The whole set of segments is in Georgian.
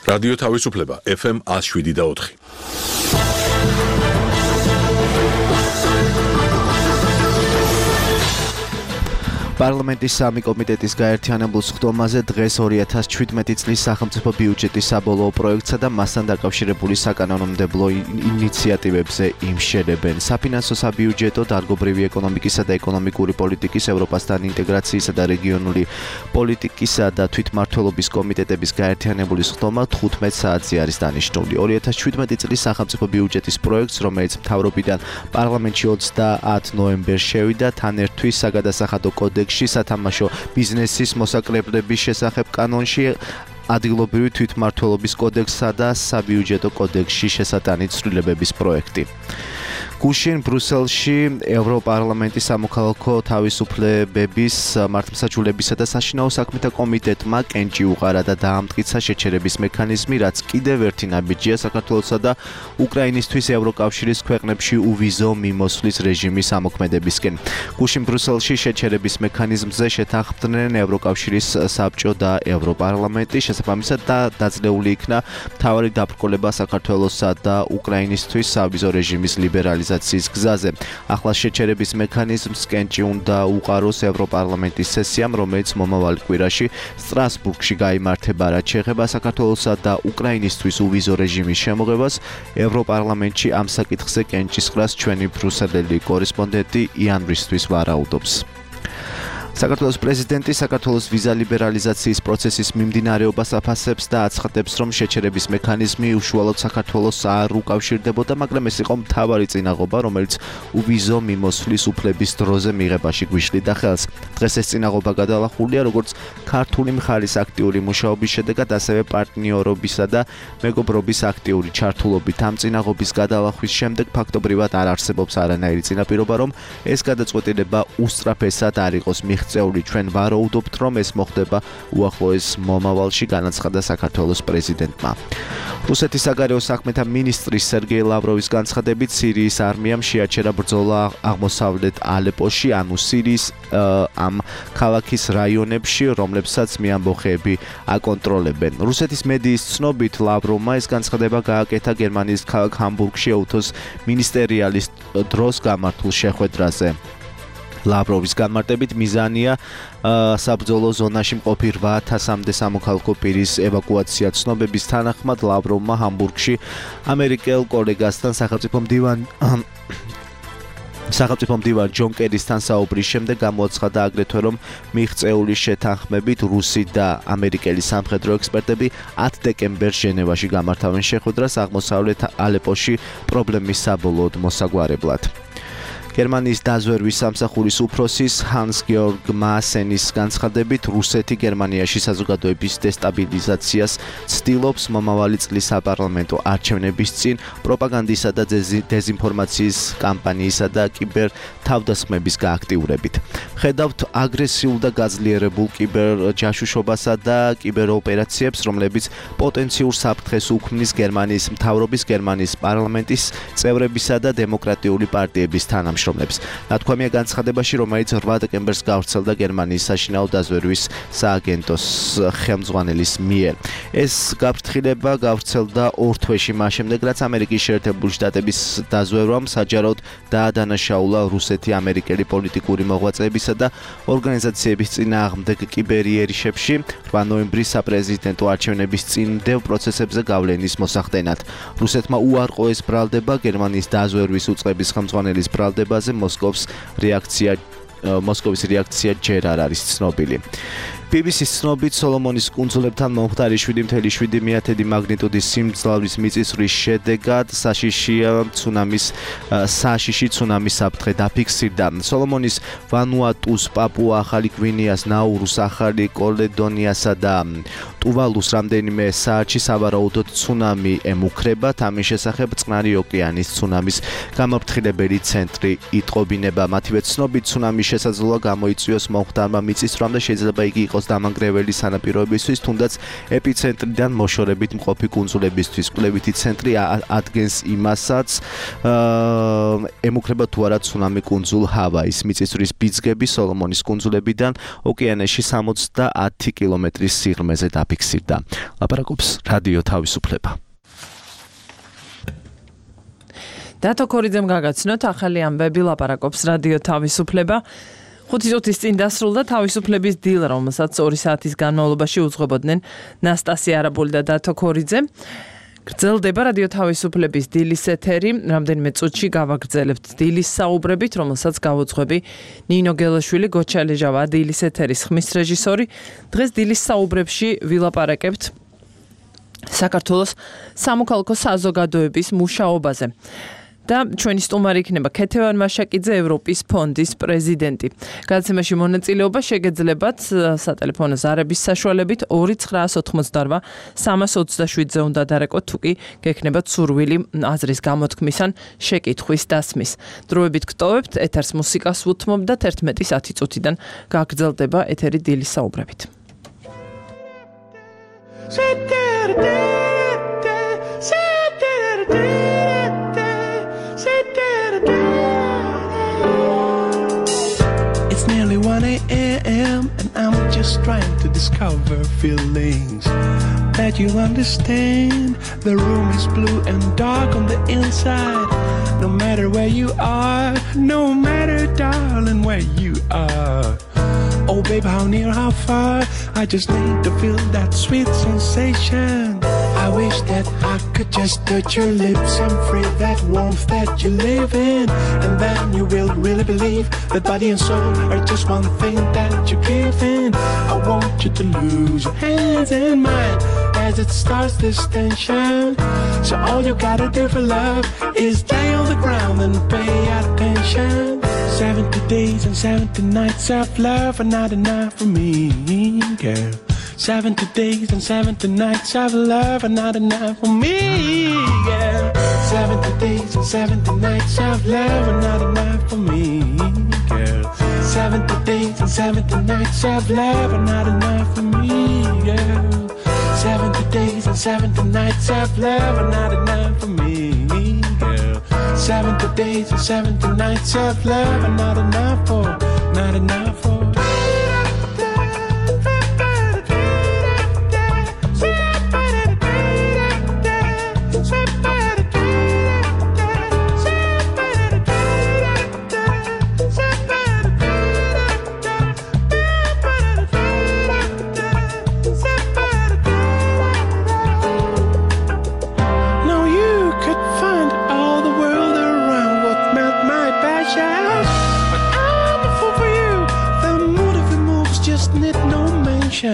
რადიო თავისუფლება FM 107.4. პარლამენტის სამი კომიტეტის გაერთიანებულ სხდომაზე დღეს 2017 წლის სახელმწიფო ბიუჯეტის საბოლოო პროექტსა და მასთან დაკავშირებული საკანონმდებლო ინიციატივებზე იმშელებენ. საფინანსო საბიუჯეტო, დარგობრივი ეკონომიკისა და ეკონომიკური პოლიტიკის, ევროპასთან ინტეგრაციისა და რეგიონული პოლიტიკისა და თვითმმართველობის კომიტეტების გაერთიანებული სხდომა 15 საათზე არის დანიშნული. 2017 წლის სახელმწიფო ბიუჯეტის პროექტს, რომელიც მთავრობიდან პარლამენტში 30 ნოემბერს შევიდა, თან ერთვის საგადასახადო კოდექსში სათამაშო ბიზნესის მოსაკრებლების შესახებ კანონში, ადგილობრივი თვითმმართველობის კოდექსსა და საბიუჯეტო კოდექსში შესატანით ცვლილებების პროექტი. გუშინ ბრუსელში ევროპარლამენტის სამოქალაქო თავისუფლებების, მართლმსაჯულებისა და საშინაო საქმეთა კომიტეტმა კენჭი უყარა და დაამტკიცა შეჩერების მექანიზმი, რაც კიდევ ერთი ნაბიჯია საქართველოსა და უკრაინისთვის ევროკავშირის ქვეყნებში უვიზო მიმოსვლის რეჟიმის ამოქმედებისკენ. გუშინ ბრუსელში შეჩერების მექანიზმზე შეთანხმდნენ ევროკავშირის საბჭო და ევროპარლამენტი, შესაბამისად დაძლეული იქნა მთავარი დაბრკოლება საქართველოსა და უკრაინისთვის სავიზო რეჟიმის ლიბერალიზაციის გზაზე. ახლა შეჩერების მექანიზმს კენჭი უნდა უყაროს ევროპარლამენტის სესიამ, რომელიც მომავალ კვირაში სტრასბურგში გაიმართება, რაც შეეხება საქართველოსა და უკრაინისთვის უვიზო რეჟიმის შემოღებას. ევროპარლამენტში ამ საკითხზე კენჭის ყრას ჩვენი ბრუსელელი კორესპონდენტი იან რისთვის ვარაუდობს. საქართველოს პრეზიდენტი საქართველოს ვიზა ლიბერალიზაციის პროცესის მიმდინარეობას აფასებს და აცხადებს, რომ შეჩერების მექანიზმი უშუალოდ საქართველოს არ უკავშირდებოდა, მაგრამ ეს იყო მთავარი წინაღობა, რომელიც უვიზო მიმოსვლის უფლების დროზე მიღებაში გვიშლიდა ხელს. დღეს ეს წინაღობა გადალახულია როგორც ქართული მხარის აქტიური მუშაობის შედეგად, ასევე პარტნიორობისა და მეგობრობის აქტიური ჩართულობით. ამ წინაღობის გადალახვის შემდეგ ფაქტობრივად არ არსებობს არანაირი წინაპირობა, რომ ეს გადაწყვეტილება უსწრაფესად არ იყოს მიღწეული. ჩვენ ვარაუდობთ, რომ ეს მოხდება უახლოეს მომავალში, განაცხადა საქართველოს პრეზიდენტმა. რუსეთის საგარეო საქმეთა მინისტრის სერგეი ლავროვის განცხადებით, სირიის არმიამ შეაჩერა ბრძოლა აღმოსავლეთ ალეპოში, ანუ სირიის ამ ქალაქის რაიონებში, რომლებსაც მეამბოხეები აკონტროლებენ. რუსეთის მედიის ცნობით, ლავროვმა ეს განცხადება გააკეთა გერმანიის ქალაქ ჰამბურგში ეუთოს მინისტერიალის დროს გამართულ შეხვედრაზე. ლავროვის განმარტებით მიზანია საბრძოლო ზონაში მყოფი 8,000-მდე სამოქალაქო პირის ევაკუაცია. ცნობების თანახმად, ლავროვმა ჰამბურგში ამერიკელ კოლეგასთან სახელმწიფო მდივან ჯონ კერისთან საუბრის შემდეგ გამოაცხადა აგრეთვე, რომ მიღწეული შეთანხმებით რუსი და ამერიკელი სამხედრო ექსპერტები 10 დეკემბერს ჟენევაში გამართავენ შეხვედრას აღმოსავლეთ ალეპოში პრობლემის საბოლოოდ მოსაგვარებლად. გერმანიის დაზვერვის სამსახურის უფროსის ჰანს-გეორგ მაასენის განცხადებით, რუსეთი გერმანიაში საზოგადოების დესტაბილიზაციას ცდილობს მომავალი წლის საპარლამენტო არჩევნების წინ პროპაგანდისა და დეზინფორმაციის კამპანიისა და კიბერ თავდასხმების გააქტიურებით. ხედავთ აგრესიულ და გაძლიერებულ კიბერჯაშუშობასა და კიბეროპერაციებს, რომლებიც პოტენციურ საფრთხეს უქმნის გერმანიის მთავრობის, გერმანიის პარლამენტის წევრებისა და დემოკრატიული პარტიების თანამშრომლებს. ნათქვამია განცხადებაში, რომელიც 8 დეკემბერს გავრცელდა გერმანიის საშინაო დაზვერვის სააგენტოს ხელმძღვანელის მიერ. ეს გაფრთხილება გავრცელდა 2 თვეში მას შემდეგ, რაც ამერიკის შეერთებული შტატების დაზვერვამ საჯაროდ დაადანაშაულა რუსეთი ამერიკელი პოლიტიკური მოღვაწეებისა და ორგანიზაციების წინააღმდეგ კიბერიერიშებში 8 ნოემბრის საპრეზიდენტო არჩევნების წინდელ პროცესებზე გავლენის მოსახდენად. რუსეთმა უარყო ეს ბრალდება, გერმანიის დაზვერვის უწყების ხელმძღვანელის ბრალდებაზე მოსკოვის რეაქცია ჯერ არ არის ცნობილი. BBC-ს ცნობით, სოლომონის კუნძულებთან მომხდარი 7.7 მაგნიტუდის სიმძლავრის მიწისძვრის შედეგად საშიში ცუნამის საფრთხე დაფიქსირდა. სოლომონის, ვანუატუს, პაპუა ახალი გვინეას, ნაურუს, ახალი კალედონიასა და ტუვალუს რამდენიმე საათში სავარაუდოდ ცუნამი ემუქრებათ. ამის შესახებ წყნარი ოკეანის ცუნამის გამაფრთხილებელი ცენტრი იტყობინება. მათივე ცნობით, ცუნამის შესაძლოა გამოიწვიოს მომხდარმა მიწისძვრამ და შეიძლება იგი იყოს იყოს დამანგრეველი სანაპიროებისთვის, თუნდაც ეპიცენტრიდან მოშორებით მყოფი კუნძულებისთვის. კვლევითი ცენტრი ადგენს იმასაც, ემუქრება თუ არა ცუნამი კუნძულ ჰავაის. მიწისძვრის ბიძგები სოლომონის კუნძულებიდან ოკეანეში 70 კილომეტრის სიღრმეზე დაფიქსირდა. ლაპარაკობს რადიო თავისუფლება. დათო ქორიძემ გაგაცნოთ ახალი ამბები, ლაპარაკობს რადიო თავისუფლება. 5 წუთის წინ დასრულდა თავისუფლების დილა, რომელსაც 2 საათის განმავლობაში უძღვებოდნენ ნასტასია არაბული და დათო ქორიძე. გრძელდება რადიო თავისუფლების დილის ეთერი, რამდენიმე წუთში გავაგრძელებთ დილის საუბრებით, რომელსაც გავუძღვები ნინო გელაშვილი, გოჩალეჟავა დილის ეთერის ხმის რეჟისორი. დღეს დილის საუბრებში ვილაპარაკებთ საქართველოს სამოქალაქო საზოგადოების მუშაობაზე. და ჩვენი სტუმარი იქნება ქეთევან მაშაკიძე, ევროპის ფონდის პრეზიდენტი. გადაცემაში მონაწილეობა შეგეძლებათ სატელეფონო ზარების საშუალებით 2988 327-ზე უნდა დარეკოთ, თუ კი გექნებათ სურვილი აზრის გამოთქმის ან შეკითხვის დასმის. დროებით გტოვებთ, ეთერს მუსიკას უთმობ და 11-ის 10 წუთიდან გაგრძელდება ეთერი დილის საუბრებით. It's nearly 1 a.m. and I'm just trying to discover feelings that you understand. The room is blue and dark on the inside. No matter where you are, no matter, darling, where you are. Oh, babe, how near, how far? I just need to feel that sweet sensation. I wish that I could just touch your lips and free that warmth that you live in. And then you will really believe that body and soul are just one thing that you give in. I want you to lose your hands in mine as it starts this tension. So all you gotta do for love is lay on the ground and pay attention. 70 days and 70 nights of love are not enough for me, girl. 70 days and 70 nights of love are not enough for me, girl. 70 days and 70 nights of love are not enough for me, girl. 70 days and 70 nights of love are not enough for me, girl. 70 days and 70 nights of love are not enough for me, girl. 70 days and 70 nights of love are not enough for, not enough for. I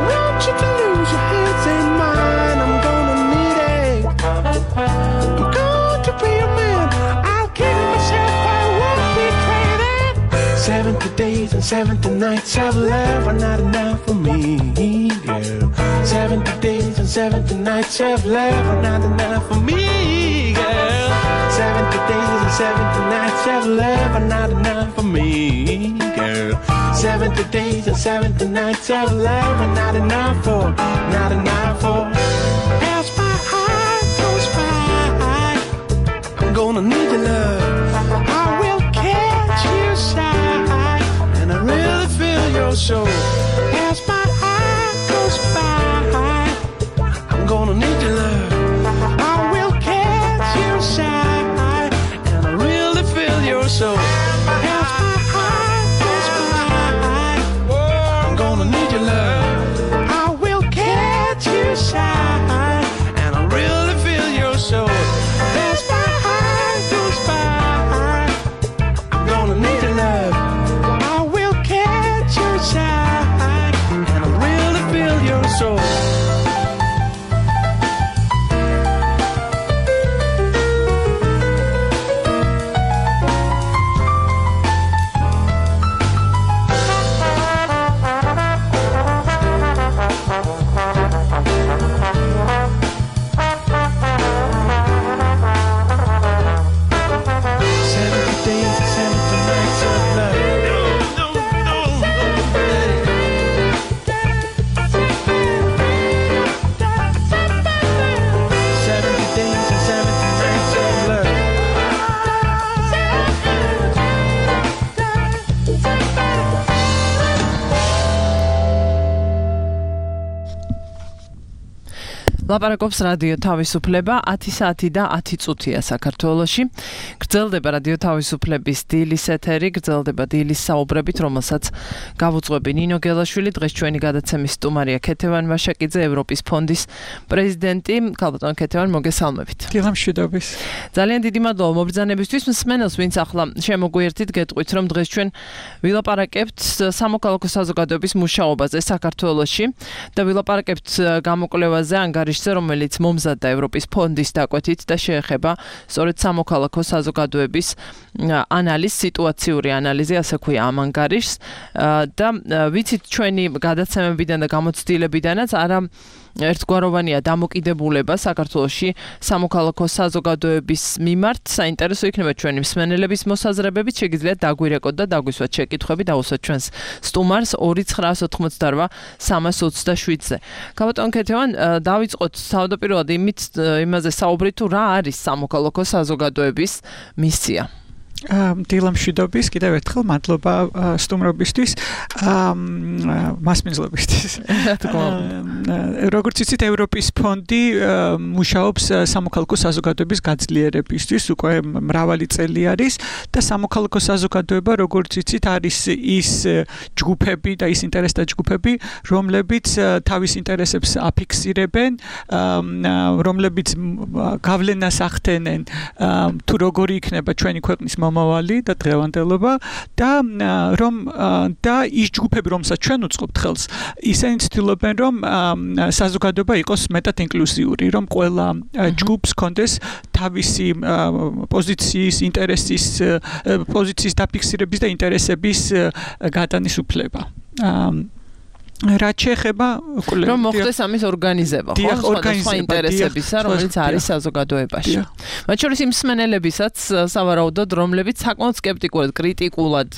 want you to lose your hands in mine. I'm gonna need it. I'm going to be a man. I'll give myself, I won't betray that. 70 days and 70 nights of love are not enough for me, girl. 70 days and 70 nights of love are not enough for me, girl. 70 days and 70 nights of love are not enough for me, girl. 70 days and 70 nights of love are not enough for, not enough for. As my heart goes by, I'm gonna need your love. I will catch you side, and I really feel your soul. As my heart goes by, I'm gonna need your love. I will catch you side, and I really feel your soul. Side ლაპარაკობს რადიო თავისუფლება 10 საათი და 10 წუთია საქართველოში. გრძელდება რადიო თავისუფლების დილის ეთერი, გრძელდება დილის საუბრებით, რომელსაც გავუძღვები ნინო გელაშვილი, დღეს ჩვენი გადაცემის სტუმარია ქეთევან ვაშაკიძე, ევროპის ფონდის პრეზიდენტი. ქალბატონ ქეთევან, მოგესალმებით. დილამშვიდობის. ძალიან დიდი მადლობა მობრძანებისთვის. მსმენელს, ვინც ახლა შემოგვიერთით, გეტყვით, რომ დღეს ჩვენ ვილაპარაკებთ სამოქალაქო საზოგადოების მუშაობაზე საქართველოში და ვილაპარაკებთ გამოკვლევაზე ანგარიშზე, რომელიც მომზადდა ევროპის ფონდის დაკვეთით და შეეხება სწორედ სამოქალაქო საზოგადოების ანალიზს, სიტუაციური ანალიზი, ასე ქვია ამ ანგარიშს და ვიცით ჩვენი გადაცემებიდან და გამოცდილებიდანაც არა ერთგვაროვანია დამოკიდებულება საქართველოში სამოქალაქო საზოგადოების მიმართ. საინტერესო იქნება ჩვენი მსმენელების მოსაზრებებით, შეგიძლიათ დაგვირეკოთ და დაგვისვათ შეკითხვები, დავუსვათ ჩვენს სტუმარს 2988 327-ზე. ქალბატონ ქეთევან, დავიწყოთ თავდაპირველად იმაზე საუბრით, თუ რა არის სამოქალაქო საზოგადოების მისია. დილამშვიდობის, კიდევ ერთხელ მადლობა სტუმრობისთვის, მასპინძლობისთვის. როგორც იცით, ევროპის ფონდი მუშაობს სამოქალაქო საზოგადოების გაძლიერებისთვის, უკვე მრავალი წელი არის და სამოქალაქო საზოგადოება, როგორც იცით, არის ის ჯგუფები და ის ინტერესთა ჯგუფები, რომლებიც თავის ინტერესებს აფიქსირებენ, რომლებიც გავლენას ახდენენ თუ როგორი იქნება ჩვენი ქვეყნის მომავალი და დღევანდელობა და ის ჯგუფები, რომელსაც ჩვენ უწყობთ ხელს, ისინი ცდილობენ, რომ საზოგადოება იყოს მეტად ინკლუზიური, რომ ყველა ჯგუფს ჰქონდეს თავისი პოზიციის, პოზიციის დაფიქსირების და ინტერესების გატანის უფლება. რაც შეეხება რომ მოხდეს ამის ორგანიზება, ხო, სხვა ინტერესებისა, რომელიც არის საზოგადოებაში. მათ შორის იმ მსმენელებისაც სავარაუდოდ, რომლებიც საკმაოდ სკეპტიკულად, კრიტიკულად,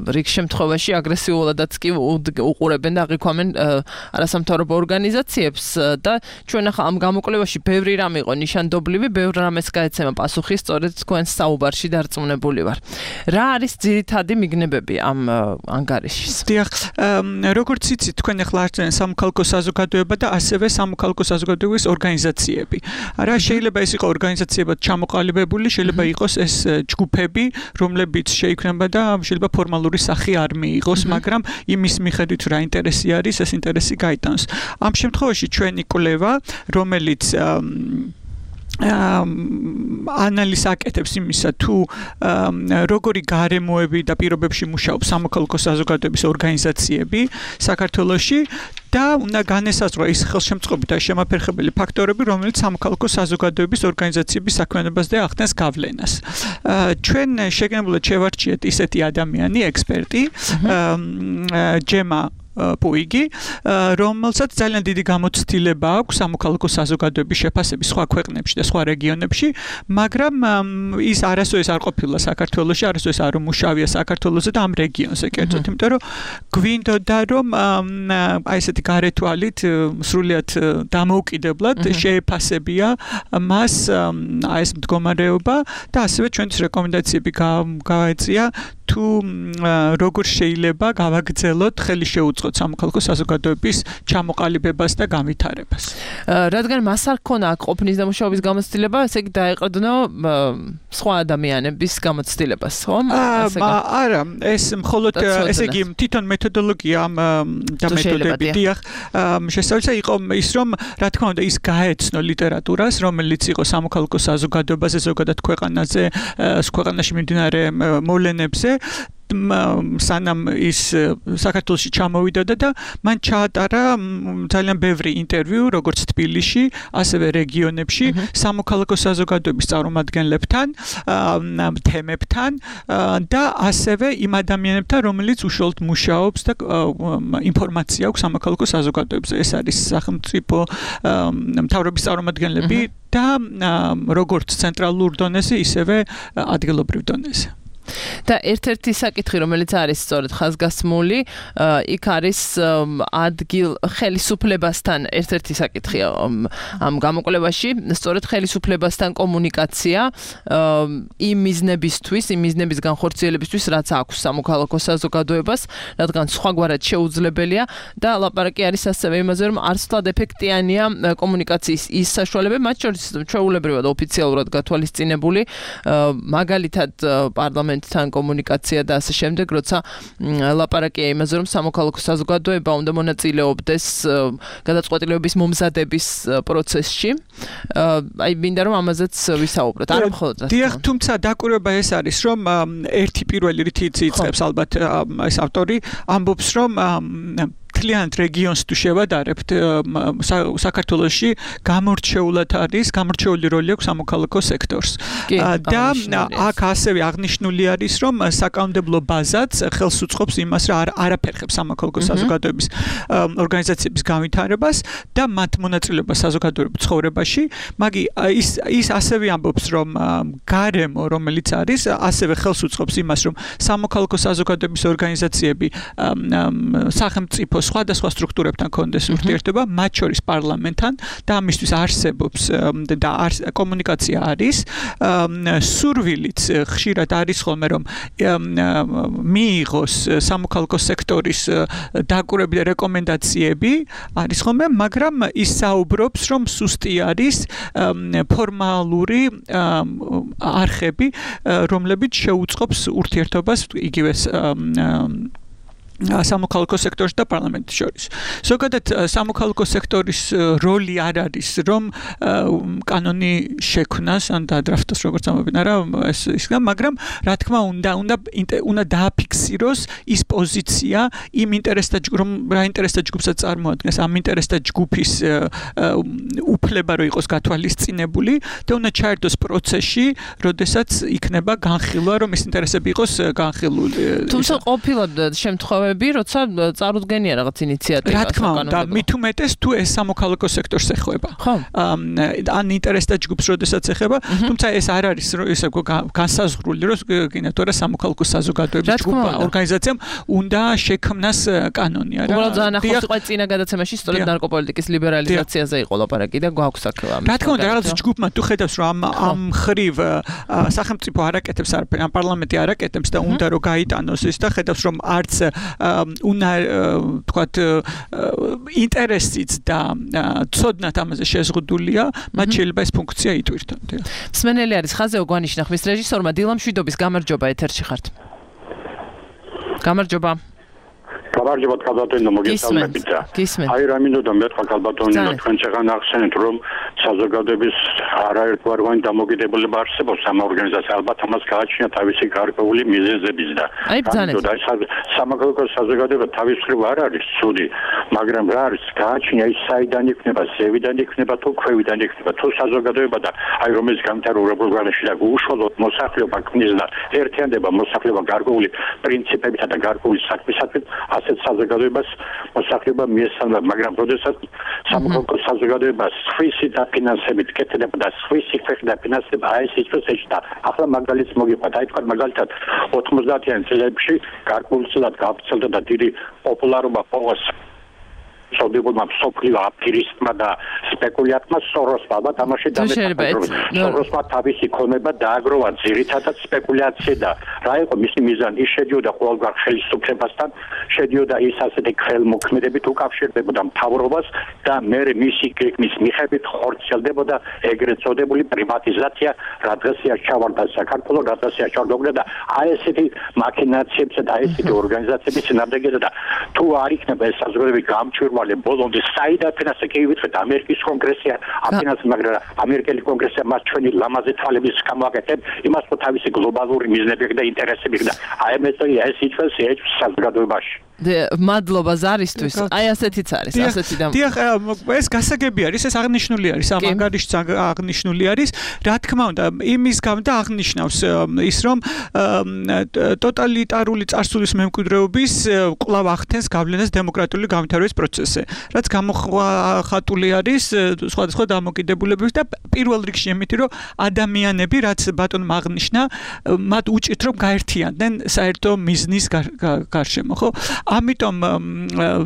რიგ შემთხვევაში აგრესიულადაც კი უყურებენ და აღიქვამენ არასამთავრობო ორგანიზაციებს და ჩვენ ახლა ამ გამოკვლევაში ბევრი რამ იყო ნიშანდობლივი, ბევრ რამეს გაეცემა პასუხი, სწორედ თქვენს საუბარში დარწმუნებული ვარ. რა არის ძირითადი მიგნებები ამ ანგარიშის? დიახ, როგორც იცით, თქვენ ახლა არწმუნებთ სამოქალაქო საზოგადოება და ასევე სამოქალაქო საზოგადოების ორგანიზაციები. რა შეიძლება ეს იყოს ორგანიზაციებად ჩამოყალიბებული, შეიძლება იყოს ეს ჯგუფები, რომლებიც შეიქმნება და შეიძლება ფორმალური სახე არ მიიღოს, მაგრამ იმის მიხედვით რა ინტერესი არის, ეს ინტერესი გაიტანოს. ამ შემთხვევაში ჩვენი კვლევა, რომელიც ანალიზს აკეთებს იმისა, თუ როგორი გარემოები და პირობებში მუშაობს სამოქალაქო საზოგადოების ორგანიზაციები საქართველოში და უნდა განესაზღვრა ის ხელშემწყობი და შემაფერხებელი ფაქტორები, რომელიც სამოქალაქო საზოგადოების ორგანიზაციების საქმიანობაზე ახდენს გავლენას. ჩვენ შეგნებულად შევარჩიეთ ისეთი ადამიანი, ექსპერტი, ჯემა პუიგი, რომელსაც ძალიან დიდი გამოცდილება აქვს სამოქალაქო საზოგადოების შეფასების სხვა ქვეყნებში და სხვა რეგიონებში, მაგრამ ის არასოდეს არ ყოფილა საქართველოში, არასოდეს არ მუშავია საქართველოზე და ამ რეგიონზე კერძოდ, იმიტომ რომ გვინდოდა რომ აი ესეთი გარეთვალით სრულიად დამოუკიდებლად შეეფასებია მას აი ეს მდგომარეობა და ასევე ჩვენთვის რეკომენდაციები გავაეწია თუ როგორ შეიძლება გავაგრძელოთ ხელი შეუწყოთ სამოქალაქო საზოგადოების ჩამოყალიბებას და განვითარებას. რადგან მას არ ქონა აქ ყოფნის და მუშაობის გამოცდილება, ესე იგი დაეყრდნო სხვა ადამიანების გამოცდილებას, ხო? არა, ეს მხოლოდ ესე იგი თვითონ მეთოდოლოგია და მეთოდები, დიახ, შესაძლოა იყო ის, რომ რა თქმა უნდა ის გაეცნო ლიტერატურას, რომელიც იყო სამოქალაქო საზოგადოებაზე, ზოგადად ქვეყანაზე, ქვეყანაში მიმდინარე მოვლენებზე სანამ ის საქართველოში ჩამოვიდა და მან ჩაატარა ძალიან ბევრი ინტერვიუ, როგორც თბილისში, ასევე რეგიონებში, სამოქალაქო საზოგადოების წარმომადგენლებთან, თემებთან და ასევე იმ ადამიანებთან, რომელიც უშუალოდ მუშაობს და ინფორმაცია აქვს სამოქალაქო საზოგადოებაზე. ეს არის სახელმწიფო მთავრობის წარმომადგენლები და როგორც ცენტრალურ დონეზე, ისევე ადგილობრივ დონეზე. და ერთ-ერთი საკითხი, რომელიც არის სწორედ ხაზგასმული, იქ არის ადგილ ხელისუფლებასთან ერთ-ერთი საკითხია ამ გამოკვლევაში, სწორედ ხელისუფლებასთან კომუნიკაცია იმ მიზნებისთვის, იმ მიზნების განხორციელებისთვის, რაც აქვს სამოქალაქო საზოგადოებას, რადგან სხვაგვარად შეუძლებელია და ლაპარაკი არის ასევე იმაზე, რომ არც ვთვლად ეფექტიანია კომუნიკაციის ის საშუალებები, მათ შორის ჩვეულებრივად ოფიციალურად გათვალისწინებული, მაგალითად პარლამენტთან კომუნიკაცია და ასე შემდეგ, როცა ლაპარაკია იმაზე, რომ სამოქალაქო საზოგადოება უნდა მონაწილეობდეს გადაწყვეტილებების მომზადების პროცესში. აი მინდა რომ ამაზეც ვისაუბროთ. არა მხოლოდ ასე. დიახ, თუმცა დაკვირვება ეს არის, რომ ერთი პირველი რითიც იწყებს ალბათ ეს ავტორი ამბობს, რომ მთლიანად რეგიონს თუ შევადარებთ, საქართველოში გამორჩეული როლი აქვს სამოქალაქო სექტორს. და აქ ასევე აღნიშნული არის, რომ საკანონმდებლო ბაზაც ხელს უწყობს იმას, რომ არაფერ ხებს სამოქალაქო საზოგადოების ორგანიზაციების განვითარებას და მათ მონაწილეობას საზოგადოებრივ ცხოვრებაში, მაგრამ ის ასევე ამბობს, რომ გარემო, რომელიც არის, ასევე ხელს უწყობს იმას, რომ სამოქალაქო საზოგადოების ორგანიზაციები სახელმწიფო სხვადასხვა სტრუქტურებთან კონდეს ურთიერთობა, მათ შორის პარლამენტთან და ამისთვის არსებობს და კომუნიკაცია არის. სურვილიც ხშირად არის ხოლმე, რომ მიიღოს სამოქალაქო სექტორის დაკვირვები და რეკომენდაციები არის ხოლმე, მაგრამ ის საუბრობს, რომ სუსტი არის ფორმალური არხები, რომლებიც შეუწყობს ურთიერთობას იგივე სამოქალაქო სექტორს და პარლამენტს შორის. ზოგადად სამოქალაქო სექტორის როლი არ არის, რომ კანონი შექმნას ან დაადრაფტოს, როგორც ამბობენ, არა, მაგრამ რა თქმა უნდა დააფიქსიროს ის პოზიცია იმ ინტერესთა რომ რა ინტერესთა ჯგუფსაც წარმოადგენს, ამ ინტერესთა ჯგუფის უფლება რომ იყოს გათვალისწინებული და უნდა ჩაერთოს პროცესში, როდესაც იქნება განხილვა, რომ ეს ინტერესები იყოს განხილული. თუმცა ყოფილად შემთხვევები როცა წარუდგენია რაღაც ინიციატივა. რა თქმა უნდა, მით უმეტეს თუ ეს სამოქალაქო სექტორს ეხება. ან ინტერესთა ჯგუფს როდესაც ეხება, თუმცა ეს არ არის ისე განსაზღვრული, რომ გინათ რა სამოქალაქო საზოგადოების ჯგუფა ორგანიზაციამ უნდა შექმნას კანონი, არა? უბრალოდ ძალიან ახლოს იყო წინა გადაცემაში სწორედ ნარკოპოლიტიკის ლიბერალიზაციაზე იყო ლაპარაკი და გვაქვს აქ ამის. რა თქმა უნდა, რაღაც ჯგუფმა თუ ხედავს, რომ ამ ხრივ სახელმწიფო არაკეთებს არაფერ, ამ პარლამენტი არაკეთებს და უნდა რომ გაიტანოს ის და ხედავს, რომ არც თქვათ ინტერესიც და ცოდნათ ამაზე შეზღუდულია, მათ შეიძლება ეს ფუნქცია იტვირთონ. მსმენელი არის ხაზეო გვანიშნა ხმის რეჟისორმა დილა მშვიდობის გამარჯობა ეთერში ხართ. გამარჯობა. გამარჯობა კალბატონო მოგესალმებით. აი რა მინდოდა მეთქვა კალბატონო თქვენ შეგან ახსენეთ რომ საზოგადოების არაერთგვაროვანი დამოკიდებულება არსებობს ამ ორგანიზაციას ალბათ ამას გააჩნია თავისი გარკვეული მიზეზებიც და მინდოდა სამოქალაქო საზოგადოება თავის მხრივ არ არის ცუდი, მაგრამ რა არის გააჩნია ის საიდან იქნება, ზევიდან იქნება თუ ქვევიდან იქნება, თუ საზოგადოება და აი რომელიც განვითარებულ ქვეყანაში და უშუალოდ მოსახლეობა ქმნის და ერთიანდება მოსახლეობა გარკვეული პრინციპებითა და გარკვეული საქმისათვის ასეთ საზოგადოებას მოსახლეობა მიესალმა, მაგრამ როდესაც სამოქალაქო საზოგადოება სხვისი დაფინანსებით კეთდება და სხვისი ქვეყნის დაფინანსება აი ეს პროცესი და ახლა მაგალითს მოგიყვათ, აი თქვა მაგალითად 90-იან წლებში გარკვეულწილად გავრცელდა და დიდი პოპულარობა პოვოს სოდებულმა მსოფლიო აფერისტმა და სპეკულიანტმა სოროსმა და თამაში დამეწყდა. სოროსმა თავისი ქონება დააგროვა ძირითადად სპეკულაციაზე და რა იყო მისი მიზანი? ის შედიოდა ყოველგვარ ხელისუფლებასთან, შედიოდა ის ასეთი ხელმოქმედებით უკავშირდებოდა მთავრობას და მერე მისი გეგმის მიხედვით ხორციელდებოდა ეგრეთ წოდებული პრივატიზაცია, რა დღესია ჩავარდა საქართველოს, რა დღესია ჩავარდა და აი ესეთი მაქინაციებსა და აი ესეთი ორგანიზაციების წინააღმდეგია და თუ არ იქნება ეს საზოგადოებრივი გამჭვირვალე ბოლომდე საიდან ფინანსი კი ვიცით ამერიკის კონგრესია აფინანსა მაგრამ ამერიკელი კონგრესია მას ჩვენი ლამაზი თვალების გამოაკეთებ იმას რომ თავისი გლობალური მიზნები და ინტერესები და აი მეწოია ეს იწვევს საზოგადოებაში მადლობა ზარისთვის. აი ასეთიც არის, ასეთი და დიახ, ეს გასაგები არის, ეს აღნიშნული არის, ამ ანგარიშიც აღნიშნული არის. რა თქმა უნდა, იმის გამო და აღნიშნავს ის, რომ ტოტალიტარული წარსულის მემკვიდრეობის კვლავ ახდენს გავლენას დემოკრატიული განვითარების პროცესზე. სფეროზე, რაც გამოხატული არის სხვადასხვა დამოკიდებულებების და პირველ რიგში იმით, რომ ადამიანები, რაც ბატონმა აღნიშნა, მათ უჭირთ რომ გაერთიანდნენ საერთო მიზნის გარშემო, ხო? ამიტომ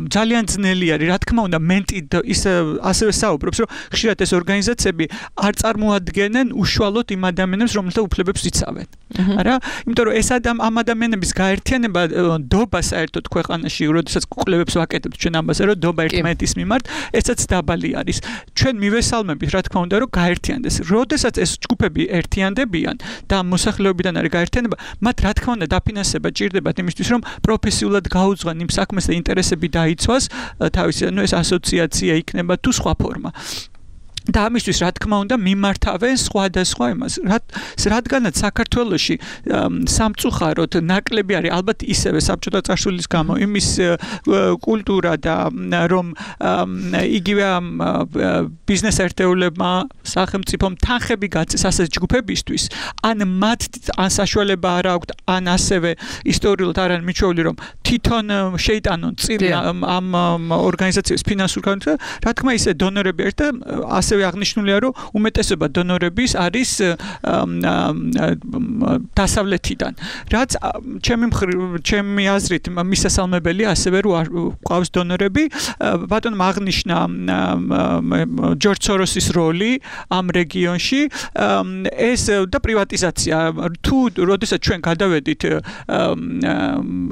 ძალიან ძნელი არის, რა თქმა უნდა, მენტი ის ასევე საუბრობს, რომ ხშირად ეს ორგანიზაციები არ წარმოადგენენ უშუალოდ იმ ადამიანებს, რომელთა უფლებებს იცავენ. არა? იმიტომ რომ ეს ამ ადამიანების გაერთიანება დობა საერთოდ ქვეყანაში, როდესაც კვლევებს ვაკეთებთ ჩვენ ამაზე, რომ დობა ერთმანეთის მიმართ, ესაც დაბალი არის. ჩვენ მივესალმებით, რა თქმა უნდა, რომ გაერთიანდეს. როდესაც ეს ჯგუფები ერთიანდებიან და მოსახლეობიდან არის გაერთიანება, მათ რა თქმა უნდა დაფინანსება ჭირდებათ იმისთვის, რომ პროფესიულად გაუძღვენ იმ საქმეს და ინტერესები დაიცვას, თავისი, ეს ასოციაცია იქნება თუ სხვა ფორმა. და ამისთვის რა თქმა უნდა მიმართავენ სხვადასხვა იმას. რადგანაც საქართველოში სამწუხაროდ ნაკლები არის ალბათ ისევე საბჭოთა წარსულის გამო იმის კულტურა და რომ იგივე ბიზნეს ერთეულებმა სახელმწიფომ თანხები გაწეს ასეთ ჯგუფებისთვის, ან მათ ან საშუალება არ აქვთ, ან ასევე ისტორიულად არ არის მიჩვეული, რომ თვითონ შეიტანონ წინ ამ ორგანიზაციების ფინანსურ განვითარებას, რა თქმა ისე დონორები ერთ და ასევე აღნიშნულია, რომ უმეტესობა დონორების არის დასავლეთიდან. რაც ჩემი აზრით მისასალმებელი ასევე რომ ყავს დონორები, ბატონმა აღნიშნა ჯორჯ სოროსის როლი ამ რეგიონში, ეს და პრივატიზაცია. თუ როდესაც ჩვენ გადავედით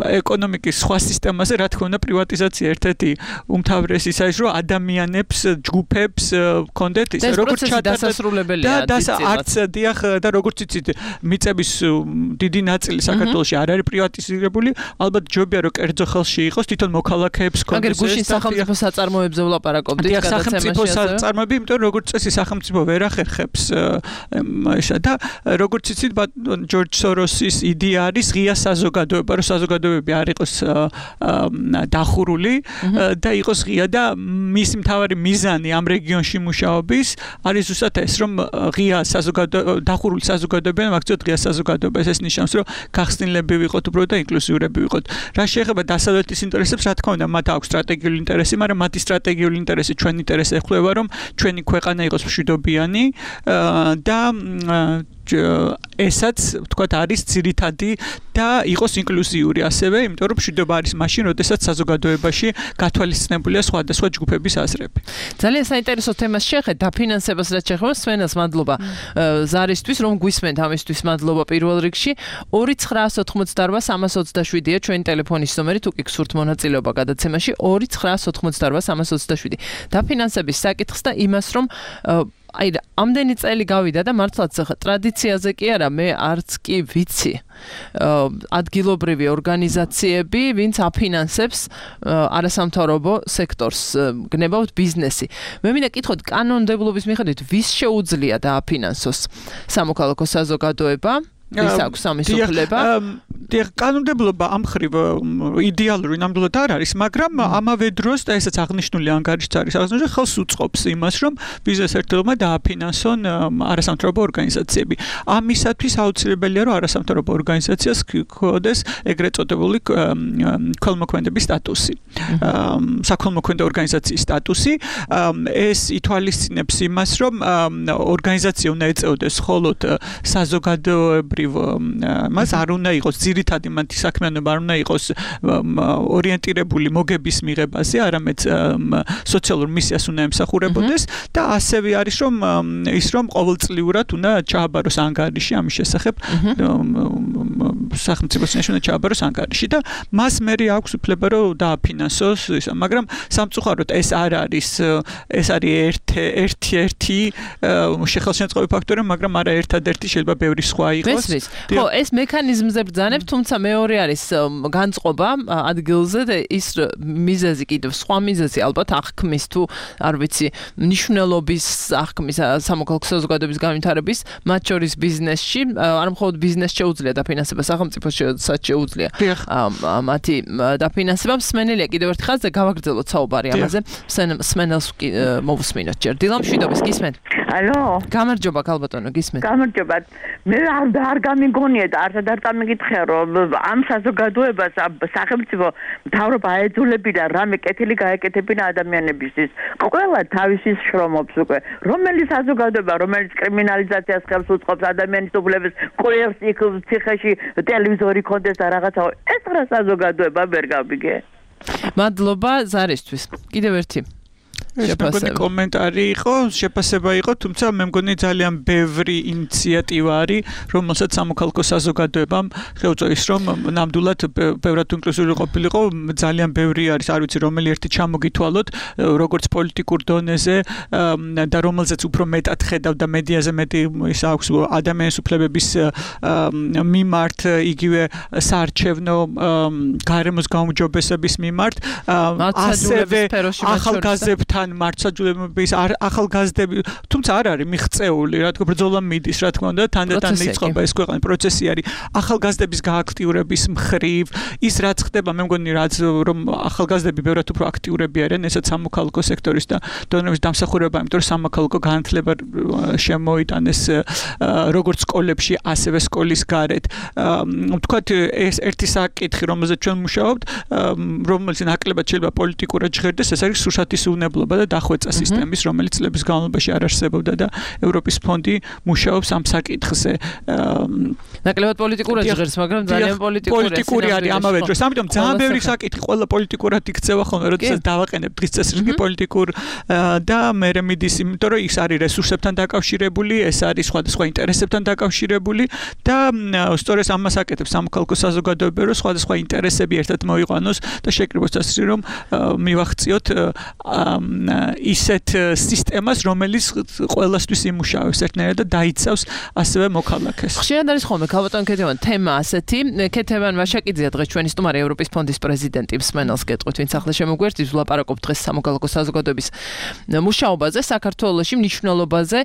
ეკონომიკის სხვა სისტემაზე, რა თქმა უნდა პრივატიზაცია ერთ-ერთი უმთავრესი ის არის, რომ ადამიანებს, ჯგუფებს კონდეთ ის როგორც ჩადასრულებელია არც დიახ და როგორც იცით მიწების დიდი ნაწილი საქართველოში არ არის პრივატიზირებული, ალბათ ჯობია რომ კერძო ხელში იყოს, თვითონ მოქალაქეებს კონდეს. აგერ გუშინ სახელმწიფო საწარმოებზე ვლაპარაკობდით გადაცემაში. სახელმწიფო საწარმოები, იმიტომ რომ როგორც წესი სახელმწიფო ვერ ახერხებს ესა და როგორც იცით ჯორჯ სოროსის იდეა არის ღია საზოგადოება, რომ საზოგადოებები არ იყოს დახურული და იყოს ღია და მისი მთავარი მიზანი ამ რეგიონში მუშაობის არის ზუსტად ეს, რომ ღია დახურული საზოგადოებიდან მაგცოთ ღია საზოგადოება. ეს ნიშნავს, რომ გახსნილები ვიყოთ უბრალოდ და ინკლუზიურები ვიყოთ. რა შეეხება დასავლეთის ინტერესებს, რა თქმა უნდა, მათ აქვს სტრატეგიული ინტერესი, მაგრამ მათი სტრატეგიული ინტერესი ჩვენ ინტერესს ეხება, რომ ჩვენი ქვეყანა იყოს მშვიდობიანი და ესაც ვთქვათ არის ძირითადი და იყოს ინკლუზიური ასევე, იმიტომ რომ მშვიდობა არის მაშინ, როდესაც საზოგადოებაში გათვალისწინებულია სხვადასხვა ჯგუფების აზრები. ძალიან საინტერესო თემას შეეხეთ, დაფინანსებას რაც შეეხება, სვენელს მადლობა ზარისთვის, რომ გვისმენთ ამისთვის მადლობა პირველ რიგში. 2988327-ია ჩვენი ტელეფონის ნომერი, თუ კი გსურთ მონაწილეობა გადაცემაში 2988327. დაფინანსების საკითხს და იმას, რომ აი ამდენი წელი გავიდა და მართლაც ტრადიციაზე კი არა, მე არც კი ვიცი ადგილობრივი ორგანიზაციები, ვინც აფინანსებს არასამთავრობო სექტორს, გნებავთ ბიზნესი. მე მინდა კითხოთ, კანონმდებლობის მიხედვით ვის შეუძლია დააფინანსოს სამოქალაქო საზოგადოება? ვის აქვს ამის უფლება? კანონმდებლობა ამ მხრივ იდეალური ნამდვილად არ არის, მაგრამ ამავე დროს და ესაც აღნიშნული ანგარიშიც არის, აღნიშნული ხელს უწყობს იმას, რომ ბიზნეს ერთეულებმა დააფინანსონ არასამთავრობო ორგანიზაციები. ამისათვის აუცილებელია, რომ არასამთავრობო ორგანიზაციას ჰქონდეს ეგრეთ წოდებული ქველმოქმედების სტატუსი, საქველმოქმედო ორგანიზაციის სტატუსი. ეს ითვალისწინებს იმას, რომ ორგანიზაცია უნდა ეწეოდეს მხოლოდ საზოგადოებრივ მას არ უნდა იყოს ძირითადი მათი საქმიანობა არ უნდა იყოს ორიენტირებული მოგების მიღებაზე, არამედ სოციალურ მისიას უნდა ემსახურებოდეს და ასევე არის რომ ის რომ ყოველწლიურად უნდა ჩააბაროს ანგარიში ამის შესახებ სახელმწიფოს უნდა ჩააბაროს ანგარიში და მას მერე აქვს უფლება რომ დააფინანსოს ისა, მაგრამ სამწუხაროდ ეს არ არის ეს არის ერთი შეხელშემწყობი ფაქტორი, მაგრამ არა ერთადერთი, შეიძლება ბევრი სხვა იყოს. ხო, ეს მექანიზმზე ბრძანებ, თუმცა მეორე არის განწყობა ადგილზე და ის მიზეზი კიდევ სხვა მიზეზი ალბათ აღქმის თუ არ ვიცი მნიშვნელობის აღქმის სამოქალაქო საზოგადოების განვითარების მათ შორის ბიზნესში, არ მხოლოდ ბიზნესს შეუძლია დაფინანსება, სახელმწიფოსაც შეუძლია მათი დაფინანსება. მსმენელია კიდევ ერთი ხაზზე გავაგრძელოთ საუბარი ამაზე. მსმენელს მოვუსმინოთ ჯერ. დილა მშვიდობის, გისმენთ? ალო გამარჯობა ქალბატონო გისმენთ გამარჯობა მე არ გამიგონია და არც არ გამიგითხე რომ ამ საზოგადოებას სახელმწიფო მთავრობა აეძულებინა რამე კეთილი გაეკეთებინა ადამიანებისთვის ყველა თავისის შრომობს უკვე რომელი საზოგადოება რომელიც კრიმინალიზაციას ხელს უწყობს ადამიანის უფლების ყურებს იქ ციხეში ტელევიზორი კონდეს და რაღაცა ეს რა საზოგადოება ვერ გავიგე მადლობა ზარისთვის კიდევ ერთი კომენტარი იყო, შეფასება იყო, თუმცა მე მგონი ძალიან ბევრი ინიციატივა არის, რომელსაც სამოქალაქო საზოგადოებამ შეუწევს, რომ ნამდვილად ბევრად ინკლუზიური ყოფილიყო, ძალიან ბევრი არის, არ ვიცი, რომელი ერთი ჩამოგითვალოთ, როგორც პოლიტიკურ დონეზე და რომელზეც უფრო მეტად ხედავდა მედიაზე მეტი ის აქვს ადამიანის უფლებების მიმართ, იგივე საარჩევნო გარემოს გაუმჯობესების მიმართ, ასევე ახალგაზრდებთან მარცხაჯულების ახალგაზრდები თუმცა არ არის მიღწეული რა თქმა ბრძოლა მიდის რა თქმა უნდა თანდათან იწყება ეს ქვეყნის პროცესი არის ახალგაზრდების გააქტიურების მხრივ ის რაც ხდება მე მგონი რაც რომ ახალგაზრდები ბევრად უფრო აქტიურები არიან ესაც სამოქალაქო სექტორის და დონეების დამსახურება იმიტომ რომ სამოქალაქო განათლება შემოიტანეს როგორც სკოლებში ასევე სკოლის გარეთ ვთქვათ ეს ერთი საკითხი რომელზეც ჩვენ მუშაობთ რომელიც ნაკლებად შეიძლება პოლიტიკურად ჟღერდეს ეს არის სურსათის უნებლობა და დახვეწა სისტემის, რომელიც წლების განმავლობაში არ არსებობდა და ევროპის ფონდი მუშაობს ამ საკითხზე. ნაკლებად პოლიტიკურად ჟღერს, მაგრამ ძალიან პოლიტიკური არის ამავე დროს. ამიტომ ძალიან ბევრი საკითხი ყველა პოლიტიკურად იქცევა ხოლმე, როდესაც დავაყენებ დღის წესრიგი პოლიტიკურ და მე მიდის, იმიტომ რომ ის არის რესურსებთან დაკავშირებული, ეს არის სხვადასხვა ინტერესებთან დაკავშირებული და სწორედ ამას აკეთებს სამოქალაქო საზოგადოება, რომ სხვადასხვა ინტერესები ერთად მოიყვანოს და შეკრიბოს ასე რომ მივახციოთ ისეთ სისტემას, რომელიც ყველასთვის იმუშავებს ერთნაირად და დაიცავს ასევე მოქალაქეს. ხშირად არის ხოლმე ქალბატონ ქეთევან თემა ასეთი. ქეთევან ვაშაკიძეა დღეს ჩვენი სტუმარი ევროპის ფონდის პრეზიდენტი მსმენელს გეტყვით, ვინც ახლა შემოგვერთის ვლაპარაკობ დღეს სამოქალაქო საზოგადოების მუშაობაზე, საქართველოში მნიშვნელობაზე.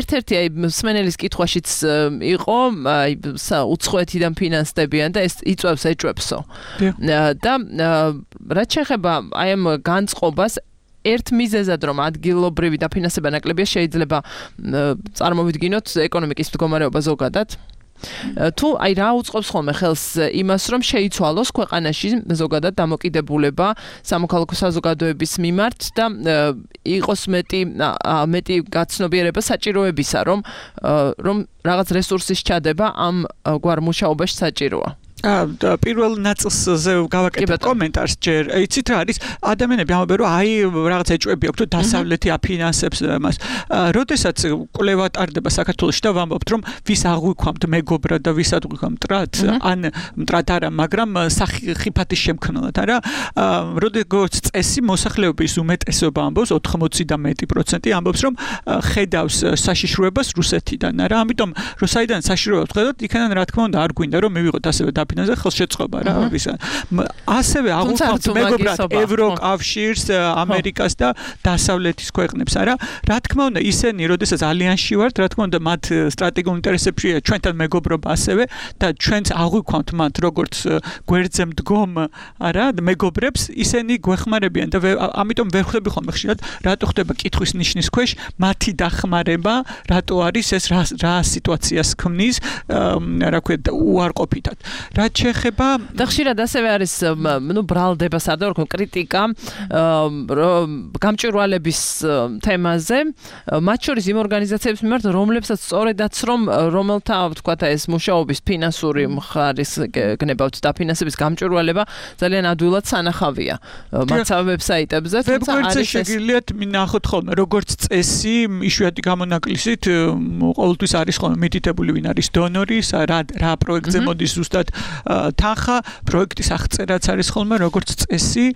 ერთ-ერთი აი მსმენელის კითხვაშიც იყო აი უცხოეთიდან ფინანსდებიან და ეს ეჭვებსო. და რაც შეეხება აი ამ განწყობას ერთ მიზეზად რომ ადგილობრივი დაფინანსება ნაკლებია შეიძლება წარმოვიდგინოთ ეკონომიკის მდგომარეობა ზოგადად თუ აი რა უწყობს ხოლმე ხელს იმას რომ შეიცვალოს ქვეყანაში ზოგადად დამოკიდებულება სამოქალაქო საზოგადოების მიმართ და იყოს მეტი გაცნობიერება საჭიროებისა რომ რაღაც რესურსის ჩადება ამ გვარ მუშაობაში საჭიროა პირველ ნაწილზე გავაკეთებ კომენტარს ჯერ იცით რა არის ადამიანები ამბობენ რომ აი რაღაც ეჭვები აქვს რომ დასავლეთი აფინანსებს მას როდესაც კვლევა ტარდება საქართველოში და ვამბობთ რომ ვის აღვიქვამთ მეგობრად და ვის აღვიქვამთ მტრად ან მტრად არა მაგრამ ხიფათის შემქმნელად არა როგორც წესი მოსახლეობის უმეტესობა ამბობს 80 და მეტი პროცენტი ამბობს რომ ხედავს საშიშროებას რუსეთიდან არა ამიტომ რომ საიდან საშიშროებას ხედავთ იქიდან რა თქმა უნდა არ გვინდა რომ მივიღოთ ასევე ფინანსზე ხელშეწყობა რა ვისა ასევე აღვიქვამთ მეგობრად ევროკავშირს ამერიკას და დასავლეთის ქვეყნებს არა რა თქმა უნდა ისინი როდესაც ალიანსში ვართ რა თქმა უნდა მათ სტრატეგიულ ინტერესებშია ჩვენთან მეგობრობა ასევე და ჩვენც აღვიქვამთ მათ როგორც გვერდზე მდგომ არა მეგობრებს ისინი გვეხმარებიან და ამიტომ ვერ ხვდები ხოლმე ხშირად რატო ხდება კითხვის ნიშნის ქვეშ მათი დახმარება რატო არის ეს რა სიტუაციას ქმნის რა ქვია უარყოფითად რაც შეეხება და ხშირად ასევე არის ბრალდება სადავო კრიტიკა გამჭვირვალების თემაზე მათ შორის იმ ორგანიზაციების მიმართ რომლებსაც სწორედაც რომელთა ვთქვათ ეს მუშაობის ფინანსური მხარის გნებავთ დაფინანსების გამჭვირვალება ძალიან ადვილად სანახავია მათსავე ვებსაიტებზე თუმცა არის შეგიძლიათ მინახოთ ხოლმე როგორც წესი იშვიათი გამონაკლისით ყოველთვის არის ხოლმე მითითებული ვინ არის დონორი რა პროექტზე მოდის ზუსტად თანხა პროექტის აღწერაც არის ხოლმე როგორც წესი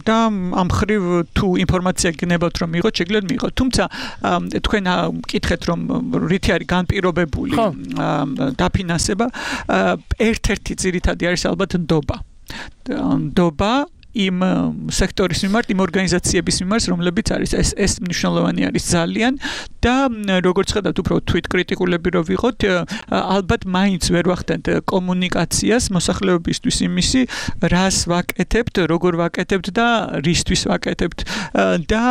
და ამ ხრივ თუ ინფორმაცია გნებავთ რომ მიიღოთ შეგიძლიათ მიიღოთ თუმცა თქვენ მკითხეთ რომ რითი არის განპირობებული დაფინანსება ერთ-ერთი ძირითადი არის ალბათ ნდობა იმ სექტორის მიმართ, იმ ორგანიზაციების მიმართ, რომლებიც არის ეს მნიშვნელოვანი არის ძალიან და როგორც ხედავთ, უფრო თვით კრიტიკულები რო ვიყოთ, ალბათ მაინც ვერ ვახდენთ კომუნიკაციას მოსახლეობისთვის იმისი, რას ვაკეთებთ, როგორ ვაკეთებთ და რისთვის ვაკეთებთ და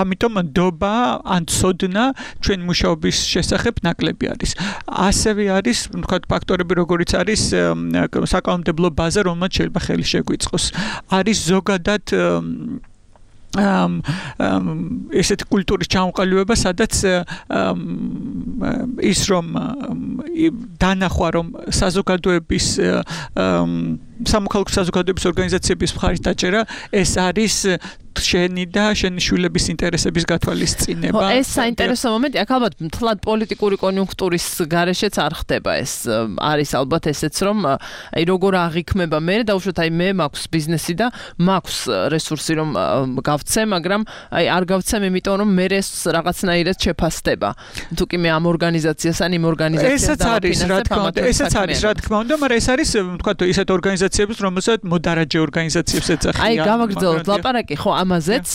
ამიტომ ნდობა ან ცოდნა ჩვენ მუშაობის შესახებ ნაკლები არის. ასევე არის, ვთქვათ, ფაქტორები, როგორიც არის საკანონმდებლო ბაზა, რომელმაც შეიძლება ხელი შეგვიწყოს. არის ზოგადად ესეთ კულტურის ჩამოყალიბება, სადაც ის რომ დანახვა რომ საზოგადოების სამოქალაქო საზოგადოების ორგანიზაციების მხარით დაჭერა ეს არის შენი და შენი შვილების ინტერესების გათვალისწინება. ეს საინტერესო მომენტი, აქ ალბათ მთლად პოლიტიკური კონიუნქტურის გარეშეც არ ხდება ეს. არის ალბათ ესეც რომ აი როგორ აღიქმება მე და უშუალოდ აი მე მაქვს ბიზნესი და მაქვს რესურსი რომ გავცე, მაგრამ აი არ გავცემ იმიტომ რომ მე ეს რაღაცნაირად შეფასდება. თუ კი მე ამ ორგანიზაციას ან იმ ორგანიზაციას ესაც არის რა თქმა უნდა, მაგრამ ეს არის ვთქვათ ისეთ ორგანიზაციებს, რომელსაც მოდარაჯე ორგანიზაციებს ეძახიან. აი გავაგრძელოთ ლაპარაკი, ხო, ამაზეც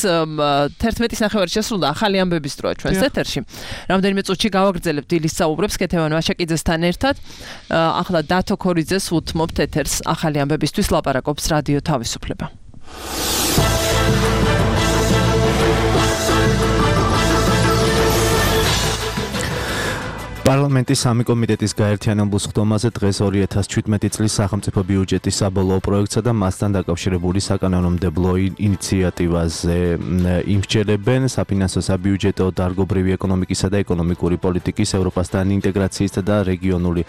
11-ის ნახევარი შესრულდა ახალი ამბების დროა ჩვენს ეთერში. რამდენიმე წუთში გავაგრძელებთ დილის საუბრებს კეთევან ვაშაკიძესთან ერთად. ახლა დათო ქორიძეს უთმობთ ეთერს ახალი ამბებისთვის ლაპარაკობს რადიო თავისუფლება. პარლამენტის სამი კომიტეტის გაერთიანებულ სხდომაზე დღეს 2017 წლის სახელმწიფო ბიუჯეტის საბოლოო პროექტსა და მასთან დაკავშირებული საკანონმდებლო ინიციატივაზე იმსჯელებენ საფინანსო, საბიუჯეტო, დარგობრივი ეკონომიკისა და ეკონომიკური პოლიტიკის, ევროპასთან ინტეგრაციისა და რეგიონული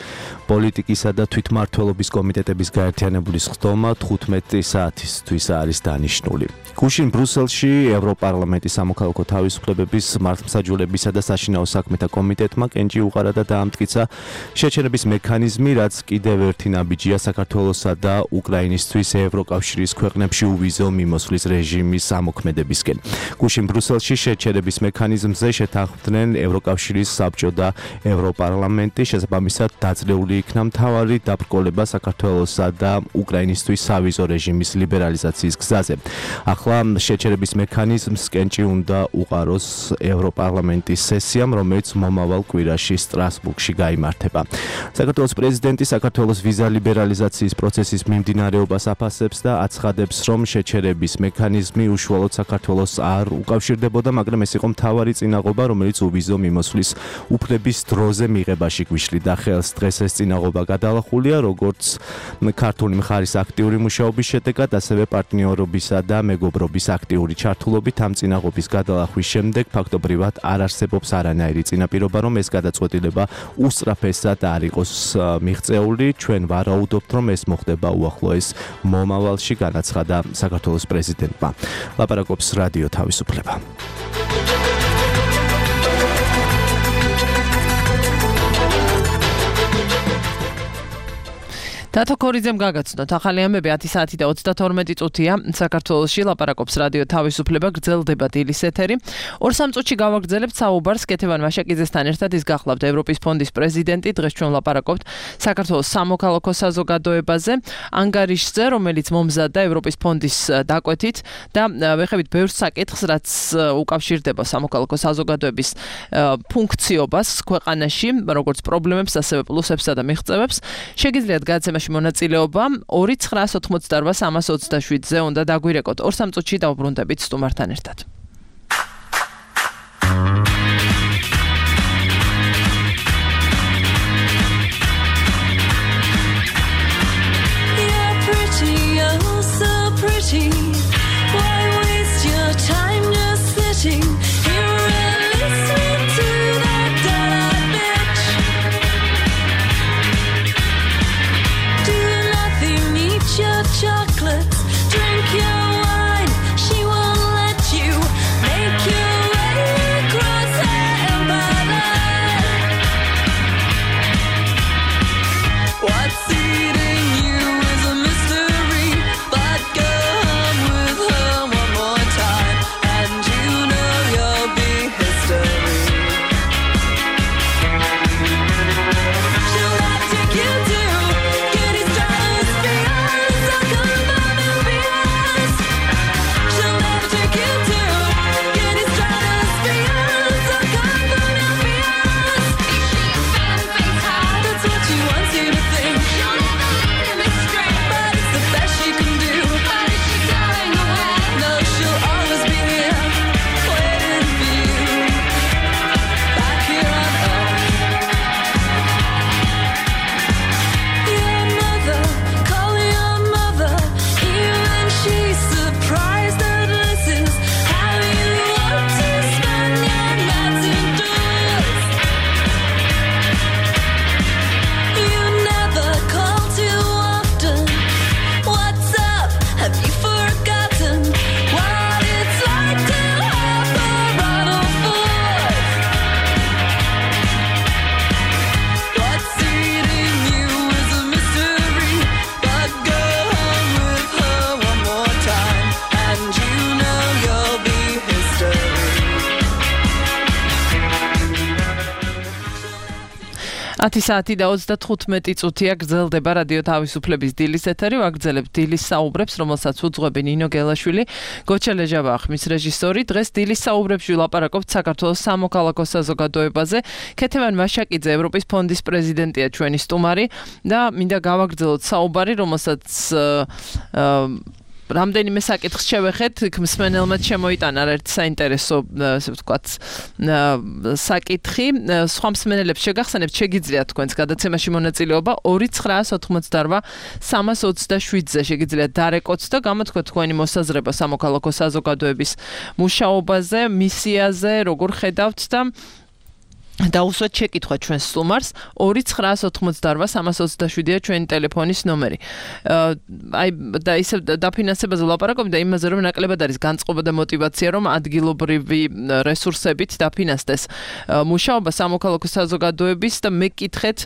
პოლიტიკისა და თვითმმართველობის კომიტეტების გაერთიანებული სხდომა 15 საათისთვის არის დანიშნული. გუშინ ბრუსელში ევროპარლამენტის სამოქალაქო თავისუფლებების, მართლმსაჯულებისა და საშინაო საქმეთა კომიტეტმა კენჭი უყარა და დაამტკიცა შეჩერების მექანიზმი, რაც კიდევ ერთი ნაბიჯია საქართველოსა და უკრაინისთვის ევროკავშირის ქვეყნებში უვიზო მიმოსვლის რეჟიმის ამოქმედებისკენ. გუშინ ბრუსელში შეჩერების მექანიზმზე შეთანხმდნენ ევროკავშირის საბჭო და ევროპარლამენტი, შესაბამისად დაძლეული იქნა მთავარი დაბრკოლება საქართველოსა და უკრაინისთვის სავიზო რეჟიმის ლიბერალიზაციის გზაზე. ახლა შეჩერების მექანიზმს კენჭი უნდა უყაროს ევროპარლამენტის სესიამ, რომელიც მომავალ კვირაში სტრასბურგში გაიმართება. საქართველოს პრეზიდენტი საქართველოს ვიზა ლიბერალიზაციის პროცესის მიმდინარეობას აფასებს და აცხადებს, რომ შეჩერების მექანიზმი უშუალოდ საქართველოს არ უკავშირდებოდა, მაგრამ ეს იყო მთავარი წინაღობა, რომელიც უვიზო მიმოსვლის უფლების დროზე მიღებაში გვიშლიდა ხელს. დღეს ეს წინაღობა გადალახულია, როგორც ქართული მხარის აქტიური მუშაობის შედეგად, ასევე პარტნიორობისა და მეგობრობის აქტიური ჩართულობით. ამ წინაღობის გადალახვის შემდეგ ფაქტობრივად არ არსებობს არანაირი წინაპირობა, რომ ეს გადაწყვეტილება უსწრაფესად არ იყოს მიღწეული. ჩვენ ვარაუდობთ, რომ ეს მოხდება უახლოეს მომავალში, განაცხადა საქართველოს პრეზიდენტმა. ლაპარაკობს რადიო თავისუფლება. დათო ქორიძემ გაგაცნოთ ახალი ამბები 10 საათი და 32 წუთია საქართველოში ლაპარაკობს რადიო თავისუფლება, გრძელდება დილის ეთერი. 2-3 წუთში გავაგრძელებთ საუბარს კეთევან ვაშაკიძესთან ერთად, ის გახლავთ ევროპის ფონდის პრეზიდენტი. დღეს ჩვენ ლაპარაკობთ საქართველოს სამოქალაქო საზოგადოებაზე, ანგარიშზე, რომელიც მომზადდა ევროპის ფონდის დაკვეთით და ვეხებით ბევრ საკითხს, რაც უკავშირდება სამოქალაქო საზოგადოების ფუნქციობას ქვეყანაში, როგორც პრობლემებს, ასევე პლუსებსა და მიღწევებს. შეგიძლიათ გადაცემაში მონაწილეობა 2988327-ზე უნდა დაგვირეკოთ. 2-3 წუთში დავბრუნდებით სტუმართან ერთად. Chocolates, drink your wine. She won't let you make your way across the empire. What's eating you is a mystery, but go home 10 საათი და 35 წუთია გრძელდება რადიო თავისუფლების დილის ეთერი. ვაგრძელებთ დილის საუბრებს, რომელსაც უძღვები ნინო გელაშვილი, გოჩა ლეჟავა ხმის რეჟისორი. დღეს დილის საუბრებში ვილაპარაკობთ საქართველოს სამოქალაქო საზოგადოებაზე. ქეთევან მაშაკიძე, ევროპის ფონდის პრეზიდენტია ჩვენი სტუმარი და მინდა გავაგრძელოთ საუბარი, რომელსაც რამდენიმე საკითხს შევეხეთ, მსმენელმა შემოიტანა ერთ საინტერესო, ასე ვთქვათ, საკითხი. სხვა მსმენელებს შეგახსენებთ, შეგიძლიათ თქვენს გადაცემაში მონაწილეობა 2988327-ზე შეგიძლიათ დარეკოთ და გამოთქვათ თქვენი მოსაზრება სამოქალაქო საზოგადოების მუშაობაზე, მისიაზე, როგორ ხედავთ და უსვათ შეკითხვა ჩვენს სტუმარს 2988327-ია ჩვენი ტელეფონის ნომერი. აი და ისევ დაფინანსებაზე ვლაპარაკობ და იმაზე რომ ნაკლებად არის განწყობა და мотиваცია რომ ადგილობრივი რესურსებით დაფინანსდეს მუშაობა სამოქალაქო საზოგადოების და მეკითხეთ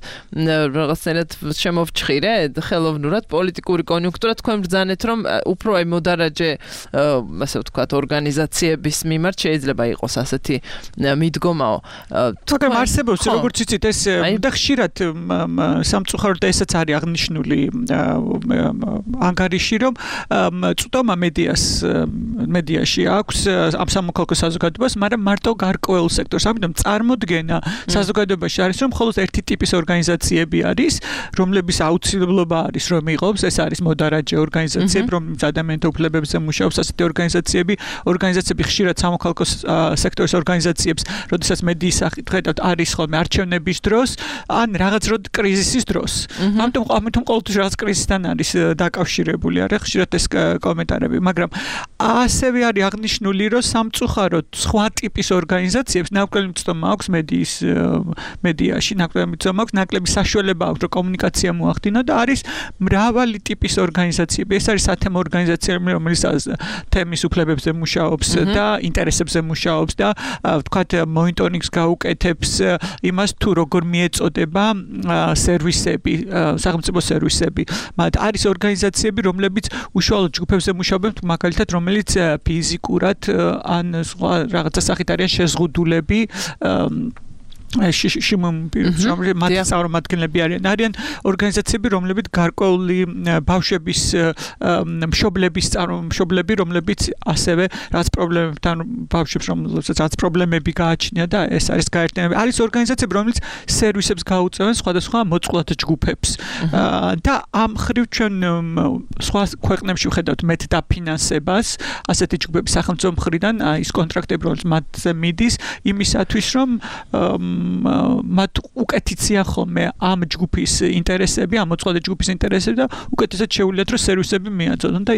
რაღაცნაირად შემოვჭხირე ხელოვნურად პოლიტიკური კონიუნქტურა თქვენ ბრძანეთ რომ უფრო აი მოდარაჯე ასე ვთქვათ ორგანიზაციების მიმართ შეიძლება იყოს ასეთი მიდგომაო. მაგრამ არსებობს როგორც იცით ეს და ხშირად სამწუხაროდ ესაც არის აღნიშნული ანგარიში რომ წვდომა მედიაში აქვს ამ სამოქალაქო საზოგადოებას, მაგრამ მარტო გარკვეულ სექტორს. ამიტომ წარმოდგენა საზოგადოებაში არის რომ მხოლოდ ერთი ტიპის ორგანიზაციები არის, რომლების აუცილებლობა არის რომ იყობს, ეს არის მოდარაჯე ორგანიზაციები, რომლებიც ადამიანთა უფლებებზე მუშაობს, ასეთი ორგანიზაციები ხშირად სამოქალაქო სექტორის ორგანიზაციებს, როდესაც მედიის სახით არის ხოლმე არჩევნების დროს, ან რაღაც კრიზისის დროს. ამიტომ ყოველთვის რაღაც კრიზისთან არის დაკავშირებული, არა ხშირად ეს კომენტარები, მაგრამ ასევე არის აღნიშნული, რომ სამწუხაროდ სხვა ტიპის ორგანიზაციებს ნაკლები მცდომა აქვს მედიაში, ნაკლები საშუალება აქვს, რომ კომუნიკაცია მოახდინო და არის მრავალი ტიპის ორგანიზაციები. ეს არის სათემო ორგანიზაციები, რომელიც თემის უფლებებზე მუშაობს და ინტერესებზე მუშაობს და ვთქვათ მონიტორინგს გაუკეთებს იმას თუ როგორ მიეწოდება სერვისები, სახელმწიფო სერვისები. მათ არის ორგანიზაციები, რომლებიც უშუალოდ ჯგუფებზე მუშაობენ, მაგალითად, რომელიც ფიზიკურად ან სხვა რაღაცა სახით არიან შეზღუდულები მათი წარმომადგენლები არიან ორგანიზაციები, რომლებიც გარკვეული ბავშვების მშობლები, რომლებიც ასევე რაც პრობლემებთან ბავშვებს, რომლებსაც რაც პრობლემები გააჩნია და ეს არის გაერთიანებული. არის ორგანიზაციები, რომლებიც სერვისებს გაუწევენ სხვადასხვა მოწყვლად ჯგუფებს. და ამ ხრივ ჩვენ სხვა ქვეყნებში ვხედავთ მეტ დაფინანსებას ასეთი ჯგუფების სახელმწიფო მხრიდან, ის კონტრაქტები, რომელიც მათზე მიდის, იმისათვის რომ მათ უკეთიცია ხოლმე ამ ჯგუფის ინტერესები, ამ მოწყვლადი ჯგუფის ინტერესები და უკეთესად შეუძლიათ რომ სერვისები მიაწოდონ და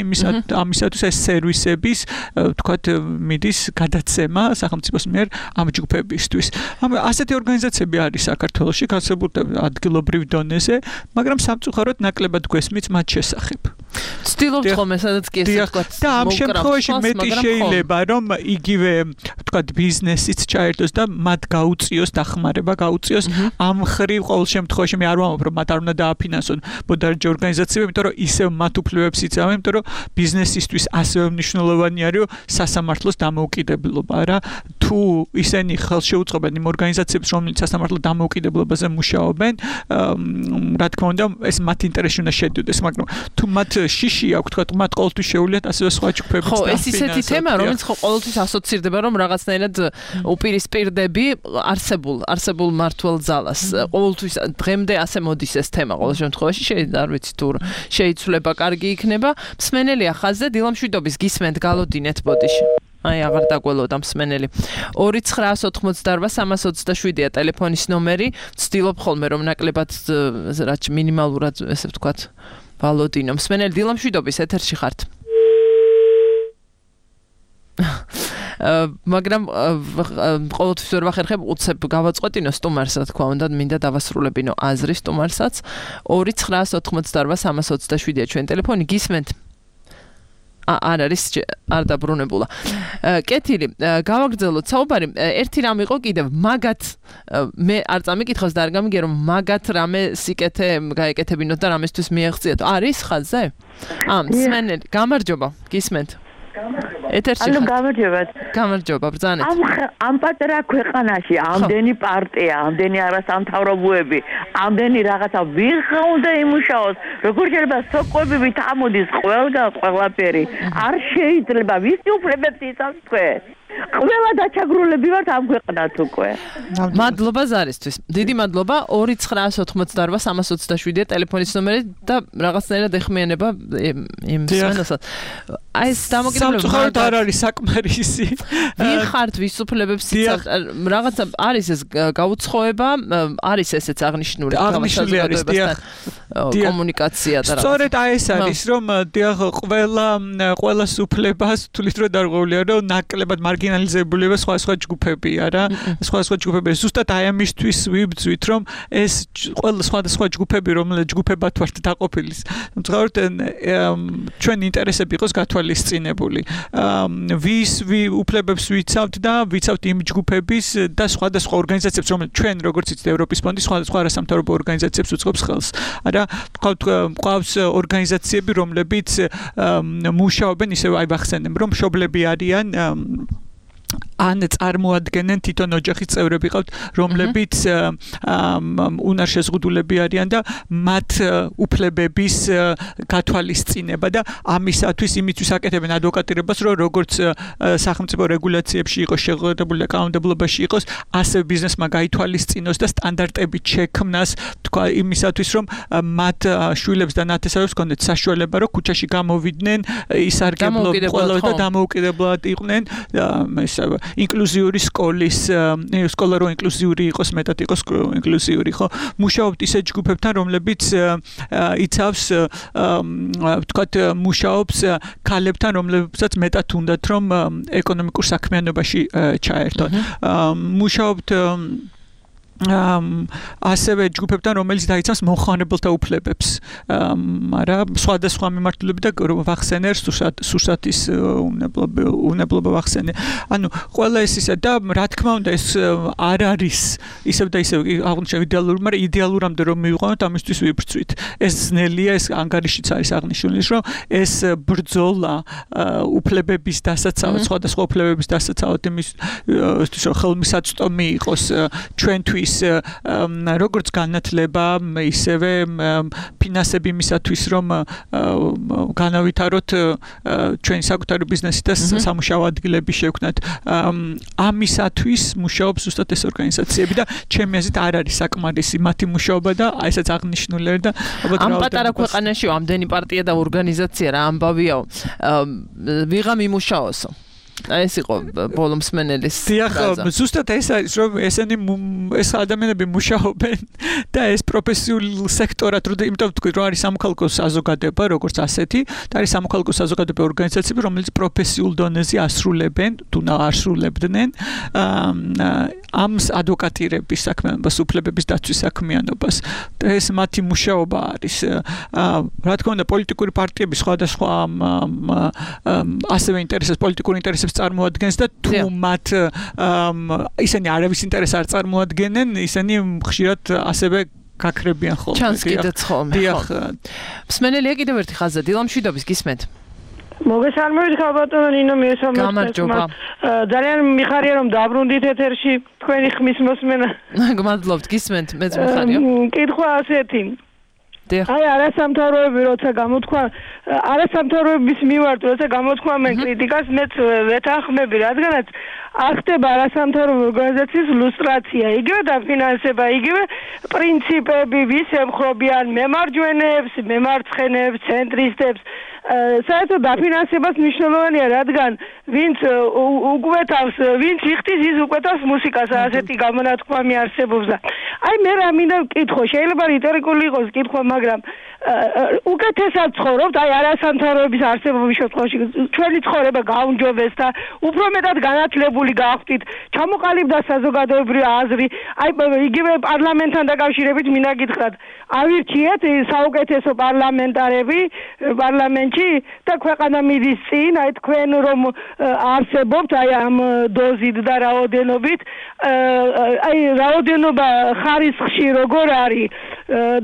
ამისათვის ეს სერვისების ვთქვათ მიდის გადაცემა სახელმწიფოს მიერ ამ ჯგუფებისთვის. ასეთი ორგანიზაციები არის საქართველოში განსაკუთრებით ადგილობრივ დონეზე, მაგრამ სამწუხაროდ ნაკლებად გვესმის მათ შესახებ. ცდილობთ ხოლმე სადაც კი ესე ვთქვათ და ამ შემთხვევაში მეტი შეიძლება რომ იგივე ვთქვათ ბიზნესიც ჩაერთოს და მათ გაუწიოს დახმარება გაუწიოს ამ ხრივ ყოველ შემთხვევაში მე არ ვამბობ რომ მათ არ უნდა დააფინანსონ მოდარაჯე ორგანიზაციები, იმიტომ რომ ისევ მათ უფლებებს იცავენ, იმიტომ რომ ბიზნესისთვის ასევე მნიშვნელოვანი არის სასამართლოს დამოუკიდებლობა, რა თუ ისინი ხელშეუწყობენ იმ ორგანიზაციებს, რომლებიც სასამართლო დამოუკიდებლობაზე მუშაობენ, რა თქმა უნდა ეს მათ ინტერესში უნდა შედიოდეს, მაგრამ თუ მათ შიში აქვს, თქვა მათ ყოველთვის შეუძლიათ ასევე სხვა ჯგუფებიც ხო, ეს ისეთი თემა, რომელიც ხო ყოველთვის ასოცირდება, რომ რაღაცნაირად უპირისპირდები არსებულ მართლ ძალას. ყოველთვის დღემდე ასე მოდის ეს თემა ყოველ შემთხვევაში, არ ვიცი თუ შეიცვლება, კარგი იქნება. მსმენელია ხაზზე, დილამშვიდობის გისმენთ, გალოდინეთ ბოდიში. აი აღარ დაგველოდა მსმენელი. 2988327-ია ტელეფონის ნომერი. ვცდილობ ხოლმე რომ ნაკლებად რაც მინიმალურად ესე ვთქვათ ვალოდინო. მსმენელი დილამშვიდობის ეთერში ხართ. მაგრამ ყოველთვის ვერ ვახერხებ უცებ გავაწყვეტინო სტუმარს, რა თქმა უნდა, მინდა დავასრულებინო აზრი სტუმარსაც. 2988327-ია ჩვენი ტელეფონი, გისმენთ? არ არის არ დაბრუნებულა. კეთილი, გავაგრძელოთ საუბარი. ერთი რამ იყო კიდევ, მაგათ მე არ წამიკითხავს და არ გამიგე რომ მაგათ რამე სიკეთე გაეკეთებინოთ და რამესთვის მიაღწიათ. არის ხაზზე? მსმენელი, გამარჯობა, გისმენთ. ეთერში ხარ. გამარჯობათ. გამარჯობა, ბრძანეთ. ამ პატარა ქვეყანაში ამდენი პარტია, ამდენი არასამთავრობოები, ამდენი რაღაცა ვიღა უნდა იმუშაოს. როგორ შეიძლება სოკოებივით ამოდის ყველაფერი. არ შეიძლება ვისი უფლებებს იცავს თქვენ? ყველა დაჩაგრულები ვართ ამ ქვეყნად უკვე. მადლობა ზარისთვის. დიდი მადლობა. 2988327 ტელეფონის ნომერი და რაღაცნაირად ეხმიანება იმ სვენასაც. აი ეს დამოკიდებულება სამწუხაროდ არ არის საკმარისი. ვინ ხართ ვის უფლებებს იცავთ? რაღაცა არის ეს გაუცხოება, არის ესეც აღნიშნული საზოგადოებასთან კომუნიკაცია და რაღაც. სწორედ აი ეს არის რომ ყველას უფლებას თulit რო დარღვეულია რომ ნაკლებად მარგინალიზებულია სხვა ჯგუფებია რა. სხვა ჯგუფები ზუსტად აი ამისთვის ვიბძვით რომ ეს ყველა სხვა ჯგუფები რომელთა ჯგუფებად ვართ დაყოფილი. მძღავთ ჩვენ ინტერესები იყოს გათვალისწინებული. ვის უფლებებს ვიცავთ და ვიცავთ იმ ჯგუფების და სხვადასხვა ორგანიზაციებს რომელიც ჩვენ როგორც იცით ევროპის ფონდი სხვადასხვა არასამთავრობო ორგანიზაციებს უწყობს ხელს. არა გვყავს ორგანიზაციები რომლებიც მუშაობენ ისევ აი ვახსენებ რომ მშობლები არიან ან წარმოადგენენ თვითონ ოჯახის წევრები ყავთ რომლებიც უნარშეზღუდულები არიან და მათ უფლებების გათვალისწინება და ამისათვის იმისთვის აკეთებენ ადვოკატირებას რომ როგორც სახელმწიფო რეგულაციებში იყოს შეღებებული და კანონმდებლობაში იყოს ასევე ბიზნესმა გაითვალისწინოს და სტანდარტებით შექმნას თქვა იმისათვის რომ მათ შვილებს და ნათესავებს კონდეთ საშუალება რომ ქუჩაში გამოვიდნენ ისარგებლო ყველა და დამოუკიდებლად იყვნენ ინკლუზიური სკოლა რო ინკლუზიური იყოს მეტად იყოს ინკლუზიური ხო მუშაობთ ისე ჯგუფებთან რომლებიც იცავს ვთქვათ მუშაობს ქალებთან რომლებსაც მეტად უნდათ რომ ეკონომიკურ საქმიანობაში ჩაერთონ მუშაობთ ასევე ჯგუფებთან რომელიც დაიცავს მომხმარებელთა უფლებებს მაგრამ სხვადასხვა მიმართულებით და ვახსენერ სურსათის უნებლობა ვახსენე ანუ ყველა ეს ისა და რა თქმა უნდა ეს არ არის ისევ და ისევ აღნიშნე იდეალური მაგრამ იდეალურამდე რომ მივიყვანოთ ამისთვის ვიბრძვით ეს ძნელია ეს ანგარიშიც არის აღნიშნული რომ ეს ბრძოლა უფლებების დასაცავად სხვადასხვა უფლებების დასაცავად იმის რომ ხელმისაწვდომი იყოს ჩვენთვის როგორც განათლება ისევე ფინანსები იმისათვის რომ განავითაროთ ჩვენი საკუთარი ბიზნესი და სამუშაო ადგილები შევქმნათ ამისათვის მუშაობს ზუსტად ეს ორგანიზაციები და ჩემი აზრით არ არის საკმარისი მათი მუშაობა და აისაც აღნიშნული და ამ პატარა ქვეყანაში ამდენი პარტია და ორგანიზაცია რა ამბავია ვიღამ იმუშაოსო ეს იყო ბოლო მსმენელის დიახ ზუსტად ეს არის რომ ესენი ეს ადამიანები მუშაობენ და ეს პროფესიულ სექტორად იმიტომ ვთქვი რომ არის სამოქალაქო საზოგადოება როგორც ასეთი და არის სამოქალაქო საზოგადოება ორგანიზაციები რომელიც პროფესიულ დონეზე ასრულებენ თუ ასრულებდნენ ამ ადვოკატირების საქმიანობას უფლებების დაცვის საქმიანობას და ეს მათი მუშაობა არის რა თქმა უნდა პოლიტიკური პარტიები სხვადასხვა ასევე ინტერესებს პოლიტიკური ინტერესებს წარმოადგენს და თუ მათ ისინი არავის ინტერესს არ წარმოადგენენ ისინი ხშირად ასევე გაქრებიან ხოლმე ჩანს კიდეც ხოლმე დიახ მსმენელია კიდევ ერთი ხაზა დილამშვიდობის გისმენთ მოგესალმებით ხალბატონო ნინო გამარჯობა ძალიან მიხარია რომ დაბრუნდით ეთერში თქვენი ხმის მოსმენა გმადლობთ გისმენთ მეც მიხარია კითხვა ასეთი აი არასამთავროები როცა გამოთქვა არასამთავროების მიმართ როცა გამოთქვამენ კრიტიკას მეც ვეთანხმები რადგანაც ახდება არასამთავრობო ორგანიზაციის ლუსტრაცია იგივე დაფინანსება იგივე პრინციპები ვის ემხრობიან მემარჯვენეებს მემარცხენეებს ცენტრისტებს საერთოდ დაფინანსებას მნიშვნელოვანია რადგან ვინც უკვეთავს ვინც იხდის ის უკვეთავს მუსიკას ასეთი გამონათქვამი არსებობს და აი მე რა მინდა ვკითხო შეიძლება რიტორიკული იყოს კითხვა მაგრამ უკეთესად ცხოვრობთ აი არასამთავროების არსებობის შემთხვევაში ჩვენი ცხოვრება გაუმჯობეს და უფრო მეტად განათლებული გავხდით ჩამოყალიბდა საზოგადოებრივი აზრი აი იგივე პარლამენტთან დაკავშირებით მინდა გითხრათ ავირჩიეთ საუკეთესო პარლამენტარები პარლამენტში და ქვეყანა მიდის წინ აი თქვენ რომ არსებობთ აი ამ დოზით და რაოდენობით აი რაოდენობა ხარისხში როგორ არის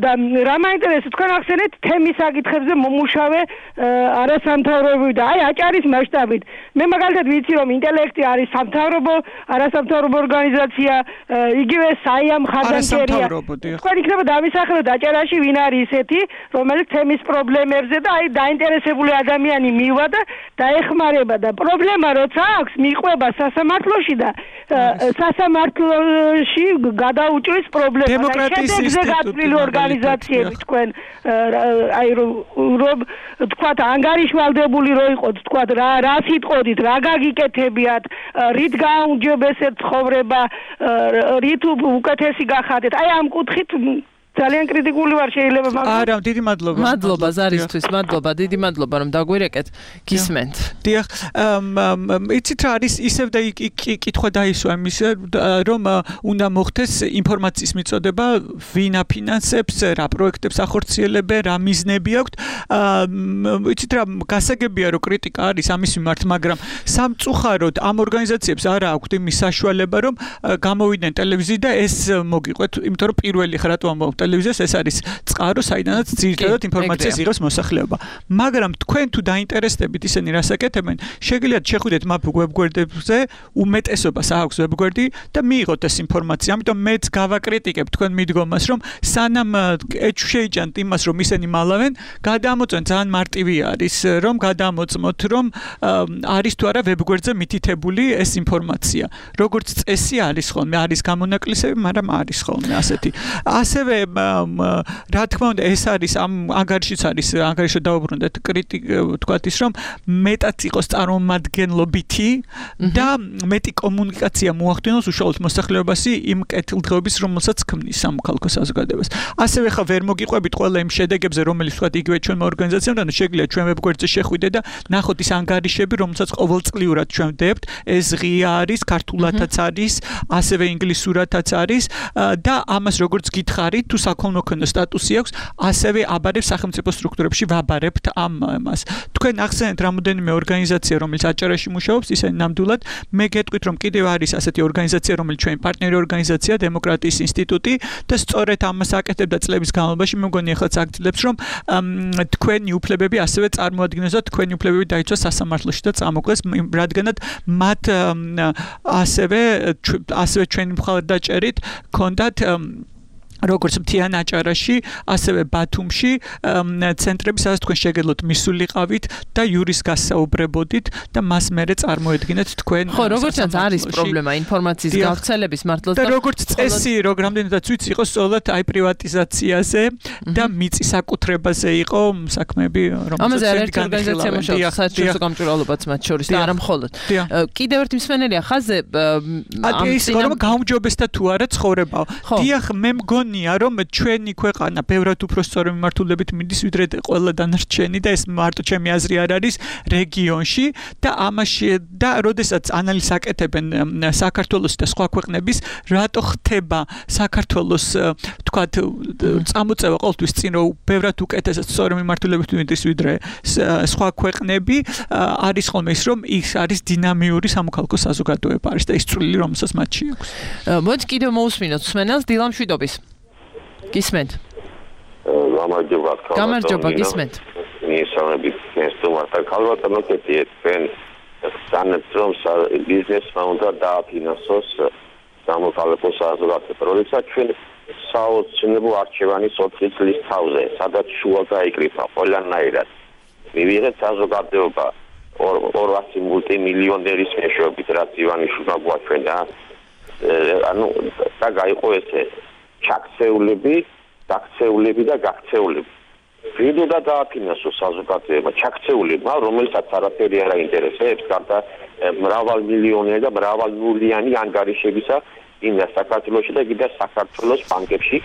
და რა მაინტერესებს თქვენ ახსენეთ თემის საკითხებზე მომუშავე არასამთავრობო და აი აჭარის მასშტაბით მე მაგალითად ვიცი რომ ინტელექტი არის სამთავრობო არასამთავრობო ორგანიზაცია იგივე საია მხარდამჭერია თქვენ იქნება დამისახელოთ აჭარაში ვინ არის ესეთი რომელიც თემის პრობლემებზე და აი დაინტერესებული ადამიანი მივა და დაეხმარება და პრობლემა როცა აქვს მიყვება სასამართლოში და სასამართლოში გადაუჭრის პრობლემა შედეგზე გაწვრილი ორგანიზაციები თქვენ აი რომ თქვათ ანგარიშვალდებული რო იყოთ თქვათ რა სიტყოდით რა გაგიკეთებიათ რით გააუმჯობესებთ ცხოვრება რით უკეთესი გახადეთ აი ამ კუთხით ძალიან კრიტიკული ვარ შეიძლება მაგრამ არა დიდი მადლობა მადლობა ზარისთვის მადლობა დიდი მადლობა რომ დაგვირეკეთ გისმენთ დიახ იცით რა არის ისევ და კითხვა დაისვა იმის რომ უნდა მოხდეს ინფორმაციის მიწოდება ვინ აფინანსებს რა პროექტებს ახორციელებენ რა მიზნები აქვთ იცით რა გასაგებია რომ კრიტიკა არის ამის მიმართ მაგრამ სამწუხაროდ ამ ორგანიზაციებს არა აქვთ იმის საშუალება რომ გამოვიდნენ ტელევიზიიდან და ეს მოგიყვეთ იმიტომ რომ პირველი ხარ რატომ ამბობ ტელევიზიას ეს არის წყარო საიდანაც ძირითადად ინფორმაციას იღებს მოსახლეობა მაგრამ თქვენ თუ დაინტერესდებით ისინი რას აკეთებენ შეგიძლიათ შეხვიდეთ მაგ ვებგვერდებზე უმეტესობას აქვს ვებგვერდი და მიიღოთ ეს ინფორმაცია ამიტომ მეც გავაკრიტიკებ თქვენ მიდგომას რომ სანამ შეიჭანთ იმას რომ ისინი მალავენ გადამოწმენ ძალიან მარტივი არის რომ გადამოწმოთ რომ არის თუ არა ვებგვერდზე მითითებული ეს ინფორმაცია როგორც წესი არის ხოლმე არის გამონაკლისები მაგრამ არის ხოლმე ასეთი ასევე რა თქმა უნდა ეს არის ამ ანგარიშიც არის ანგარიშო დაუბრუნდეთ თქვათ ის რომ მეტად იყოს წარმომადგენლობითი და მეტი კომუნიკაცია მოახდინოს უშუალოდ მოსახლეობაში იმ კეთილდღეობის რომელსაც ქმნის სამოქალაქო საზოგადოებას ასევე ხა ვერ მოგიყვებით ყველა იმ შედეგებზე რომელიც თქვათ იგივე ჩვენმა ორგანიზაციებთან შეგვიძლია ჩვენ ვებგვერდზე შეხვიდეთ და ნახოთ ის ანგარიშები რომელსაც ყოველწლიურად ჩვენ ვდებთ ეს ღია არის ქართულადაც არის ასევე ინგლისურადაც არის და ამას როგორც გითხარით თუ საქველმოქმედო სტატუსი აქვს, ასევე აბარებს სახელმწიფო სტრუქტურებში ვაბარებთ ამას. თქვენ ახსენეთ რამოდენიმე ორგანიზაცია, რომელიც აჭარაში მუშაობს, ისინი ნამდვილად მე გეტყვით, რომ კიდევ არის ასეთი ორგანიზაცია, რომელიც ჩვენი პარტნიორი ორგანიზაცია, დემოკრატიის ინსტიტუტი და სწორედ ამას აკეთებდა წლების განმავლობაში, მე მგონი ახლა აგძლებს, რომ თქვენი უფლებები ასევე წარმოადგინოს და თქვენი უფლებები დაიცვას სასამართლოში და წამოკლეს, რადგანაც მათ ასევე ჩვენი მხარდაჭერით ქონდათ როგორც მთიან აჭარაში, ასევე ბათუმში ცენტრები, სადაც თქვენ შეგეძლოთ მისულიყავით და იურის გასაუბრებოდით და მას მერე წარმოედგინეთ თქვენ. ხო, როგორც არის პრობლემა ინფორმაციის გავრცელების მართლაც და როგორც წესი, რამდენადაც ვიცი, იყო სწორედ აი პრივატიზაციაზე და მიწის აკუთრებაზე იყო საქმეები, რომელსაც ამაზე ერთ ორგანიზაცია მუშაობს, საერთაშორისო გამჭვირვალობაც მათ შორის და არა მხოლოდ. კიდევ ერთი მსმენელია ხაზე ამ წინამ გაუმჯობესდა თუ არა ცხოვრება. დიახ, მე მგონი რომ ჩვენი ქვეყანა ბევრად უფრო სწორი მიმართულებით მიდის ვიდრე ყველა დანარჩენი და ეს მარტო ჩემი აზრი არ არის რეგიონში და ამაში და როდესაც ანალიზს აკეთებენ საქართველოს და სხვა ქვეყნების რატო ხდება საქართველოს თქვათ წამოწევა ყოველთვის წინ რომ ბევრად უკეთესად სწორი მიმართულებით მიდის ვიდრე სხვა ქვეყნები არის ხოლმე ის რომ ის არის დინამიური სამოქალაქო საზოგადოება არის და ის წვლილი რომელსაც მათში აქვს. მოდი კიდევ მოусმინოთ მსმენელს დილამ შვიდობის. გისმენთ. გამარჯობა, გისმენთ. მისამები ნესტუმართან ქალბატონო კეთიეთენ სანაცრომ ბიზნესმა უნდა დააფინანსოს სამოქალაქო საზოგადოება. როდესაც ჩვენ საოცნებო არჩევანის 4 წლის თავზე, სადაც შუა გაიკრიფა ყველანაირად. მივიღეთ საზოგადოება 200 მულტიმილიონერის მეშვეობით, რაც ივანიშვილმა გვაჩვენა. ანუ და გაიყო ესე ჩაქცეულები და გაქცეულები. ვიდოდა დააფინანსოს საზოგადოება ჩაქცეულებმა, რომელსაც არაფერი არ აინტერესებს, გარდა მრავალმილიონიანი და მრავალნულიანი ანგარიშებისა იმდა საქართველოში და კიდევ საქართველოს ბანკებში,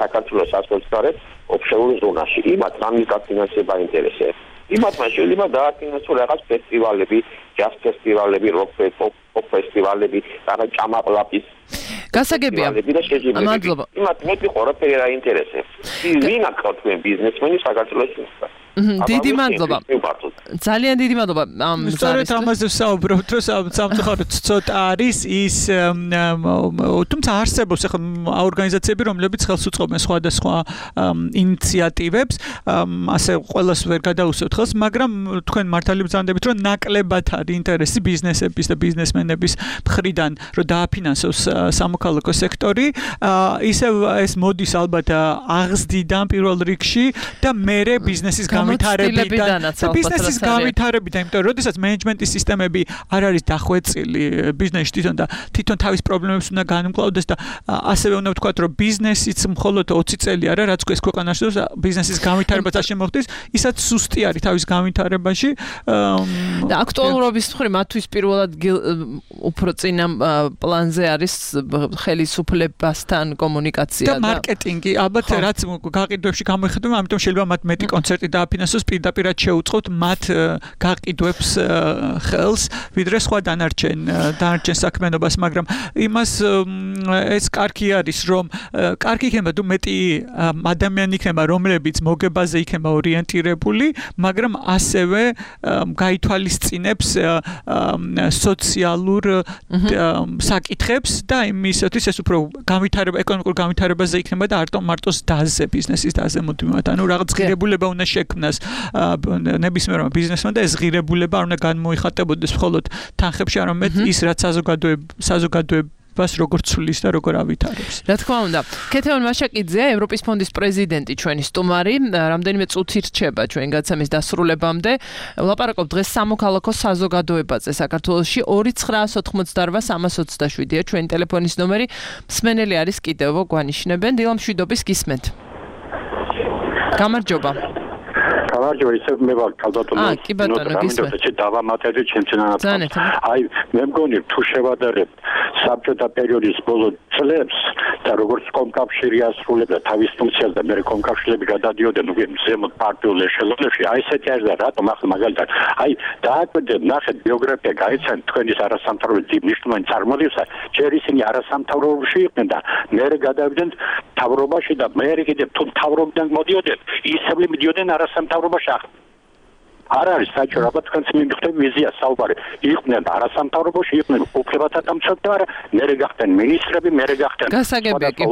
საქართველოს ასოცირებად ოფშორ ზონაში. იმათ რამის დაფინანსება აინტერესებს. იმათმა შეიძლება დააფინანსოს რაღაც ფესტივალები, ჯაზ ფესტივალები, როკ ფესტივალები, რაღაც ჭამაყლაპის გასაგებია. მადლობა. იმათ მეტი ყველაფერი არ აინტერესებს. ვინ აქ თქვენ ბიზნესმენი საქართველოში? დიდი მადლობა. ძალიან დიდი მადლობა ამ სწორედ ამაზე ვსაუბრობთ, რომ სამწუხაროდ ცოტა არის ის თუმცა არსებობს ახლა ორგანიზაციები, რომლებიც ხელს უწყობენ სხვადასხვა ინიციატივებს, ასე ყველას ვერ გადაუსვევთ ხელს, მაგრამ თქვენ მართალი ბრძანდებით, რომ ნაკლებად არის ინტერესი ბიზნესების და ბიზნესმენების მხრიდან, რომ დააფინანსოს სამოქალაქო სექტორი, ისევ ეს მოდის ალბათ აღზრდიდან პირველ რიგში და მერე ბიზნესის განვითარებიდან და ბიზნესის განვითარებიდან, იმიტომ რომ როდესაც მენეჯმენტის სისტემები არ არის დახვეწილი ბიზნესში თვითონ თავის პრობლემებს უნდა განმკლავდეს და ასევე უნდა ვთქვათ, რომ ბიზნესიც მხოლოდ 20 წელი არა, რაც ეს ქვეყანაში ბიზნესის განვითარებაც არ შემოხდეს, ისაც სუსტი არის თავის განვითარებაში და აქტუალურობის მხრივ მათთვის პირველად უფრო წინა პლანზე არის ხელისუფლებასთან კომუნიკაცია და მარკეტინგი, ალბათ რაც გაყიდვებში გამოიხატება, ამიტომ შეიძლება მათ მეტი კონცერტი დააფინანსოს, პირდაპირად შეუწყოთ მათ გაყიდვებს ხელს, ვიდრე სხვა დანარჩენ საქმიანობას, მაგრამ იმას ეს კარგი არის, რომ კარგი იქნება თუ მეტი ადამიანი იქნება, რომლებიც მოგებაზე იქნება ორიენტირებული, მაგრამ ასევე გაითვალისწინებს სოციალურ საკითხებს და იმისათვის ეს უფრო ეკონომიკურ განვითარებაზე იქნება და არ მარტო დაზე, ბიზნესის დაზე მოდივართ. ანუ რაღაც ღირებულება უნდა შექმნას ნებისმიერმა ბიზნესმა და ეს ღირებულება არ უნდა განმოიხატებოდეს მხოლოდ თანხებში, არამედ ის რაც საზოგადოებას როგორც ცulis და როგორ ავითარებს. რა თქმა უნდა. ქეთევან მაშაკიძე, ევროპის ფონდის პრეზიდენტი, ჩვენი სტუმარი, რამდენიმე წუთი რჩება ჩვენ გაცემის დასრულებამდე. ვლაპარაკობ დღეს სამოქალაქო საზოგადოებაზე საქართველოში 2988327-ია ჩვენი ტელეფონის ნომერი. მსმენელი არის კიდევ გვანიშნებენ. დილამშვიდობის გისმენთ. გამარჯობა. გამარჯობა, ისევ მე ვარ კალბატონო. კი ბატონო, გისმენთ. დავამატებდი ჩემცენად. აი, მე მგონი თუ შევადარებთ საბჭოთა პერიოდის ბოლო წლებს და როგორც კომკავშირი ასრულებდა თავის ფუნქციას და მე კომკავშირები გადადიოდნენ ზემოთ პარტიულ ეშელონებში, აი ესეთი არის და რატომ ახლა მაგალითად, აი დააკვირდეთ, ნახეთ ბიოგრაფია, გაიცანთ თქვენის არასამთავრობო მნიშვნელოვანი წარმოდგენისა, ჯერ ისინი არასამთავრობოში იყვნენ და მე გადავიდნენ მთავრობაში და მე კიდევ თუ მთავრობიდან მოდიოდნენ, ისევ მიდიოდნენ არასამთავრობოში. არ არის საჭირო, ალბათ თქვენც მიგხვდები ვიზია საუბარი. იყვნენ არასამთავრობოში, იყვნენ უფლებათა დამცავი, მერე გახდნენ მინისტრები, მერე გახდნენ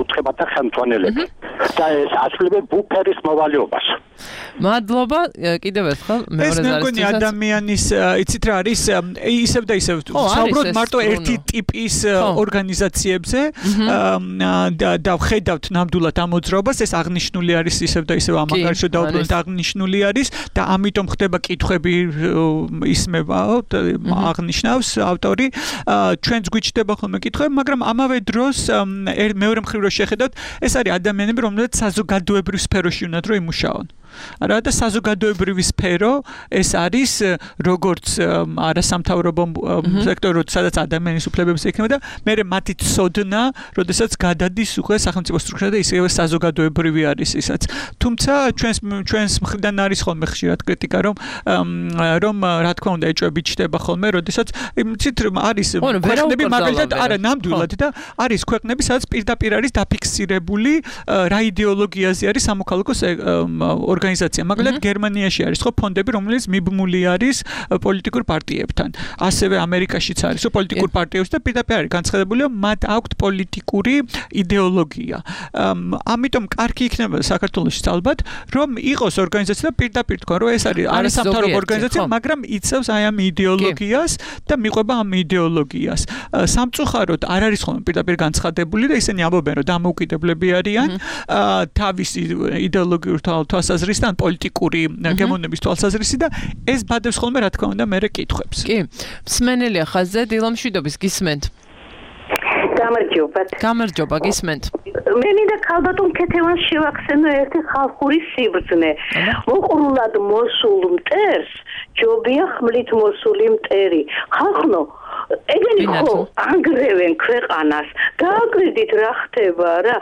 უფლებათა ხელმძღვანელები. და ეს ასრულებენ ბუფერის მოვალეობას. მადლობა, კიდევ ერთხელ ეს მეორე მე მგონი ადამიანის, იცით რა არის, ისევ და ისევ საუბრობთ მარტო ერთი ტიპის ორგანიზაციებზე და ვხედავთ ნამდვილად ამ მოძრაობას, ეს აღნიშნული არის ისევ და ისევ ამაგარში დაუბრუნდით აღნიშნული არის და ამიტომ ხდება კითხვები ისმება აღნიშნავს ავტორი, ჩვენც გვიჩნდება ხოლმე კითხვები, მაგრამ ამავე დროს მეორე მხრივ რო შეხედავთ, ეს არის ადამიანები, რომლებიც საზოგადოებრივ სფეროში უნდათ რომ იმუშაონ. არა და საზოგადოებრივი სფერო ეს არის როგორც არასამთავრობო სექტორი, სადაც ადამიანის უფლებებს ექნება და მე მათი ცოდნა, როდესაც გადადის უკვე სახელმწიფო სტრუქტურა და ისევე საზოგადოებრივი არის ისაც. თუმცა ჩვენს მხრიდან არის ხოლმე ხშირად კრიტიკა, რომ რა თქმა უნდა ეჭვები ჩდება ხოლმე, როდესაც იცით არის ქვეყნები მაგალითად არა ნამდვილად და არის ქვეყნები, სადაც პირდაპირ არის დაფიქსირებული რა იდეოლოგიაზე არის სამოქალაქო ორგანიზაცია. მაგალითად გერმანიაში არის ხო ფონდები, რომელიც მიბმული არის პოლიტიკურ პარტიებთან. ასევე ამერიკაშიც არის ხო პოლიტიკურ პარტიებს და პირდაპირ არის განცხადებული, რომ მათ აქვთ პოლიტიკური იდეოლოგია. ამიტომ კარგი იქნება საქართველოში ალბათ, რომ იყოს ორგანიზაცია და პირდაპირ თქვა, რომ ეს არის არასამთავრობო ორგანიზაცია, მაგრამ იცავს აი ამ იდეოლოგიას და მიყვება ამ იდეოლოგიას. სამწუხაროდ არ არის ხოლმე პირდაპირ განცხადებული და ისინი ამბობენ, რომ დამოუკიდებლები არიან თავისი იდეოლოგიური თვალსაზრისით ან პოლიტიკური გემოვნების თვალსაზრისით და ეს ბადებს ხოლმე რა თქმა უნდა მერე კითხვებს. კი, მსმენელია ხაზზე, დილამშვიდობის გისმენთ. გამარჯობა, გისმენთ. მე მინდა ქალბატონ ქეთევანს შევახსენო ერთი ხალხური სიბრძნე. უყრულად მოსულ მტერს ჯობია ხმლით მოსული მტერი. ხალხო ეგენი ხო ანგრევენ ქვეყანას. გააკრიდით რა ხდება რა.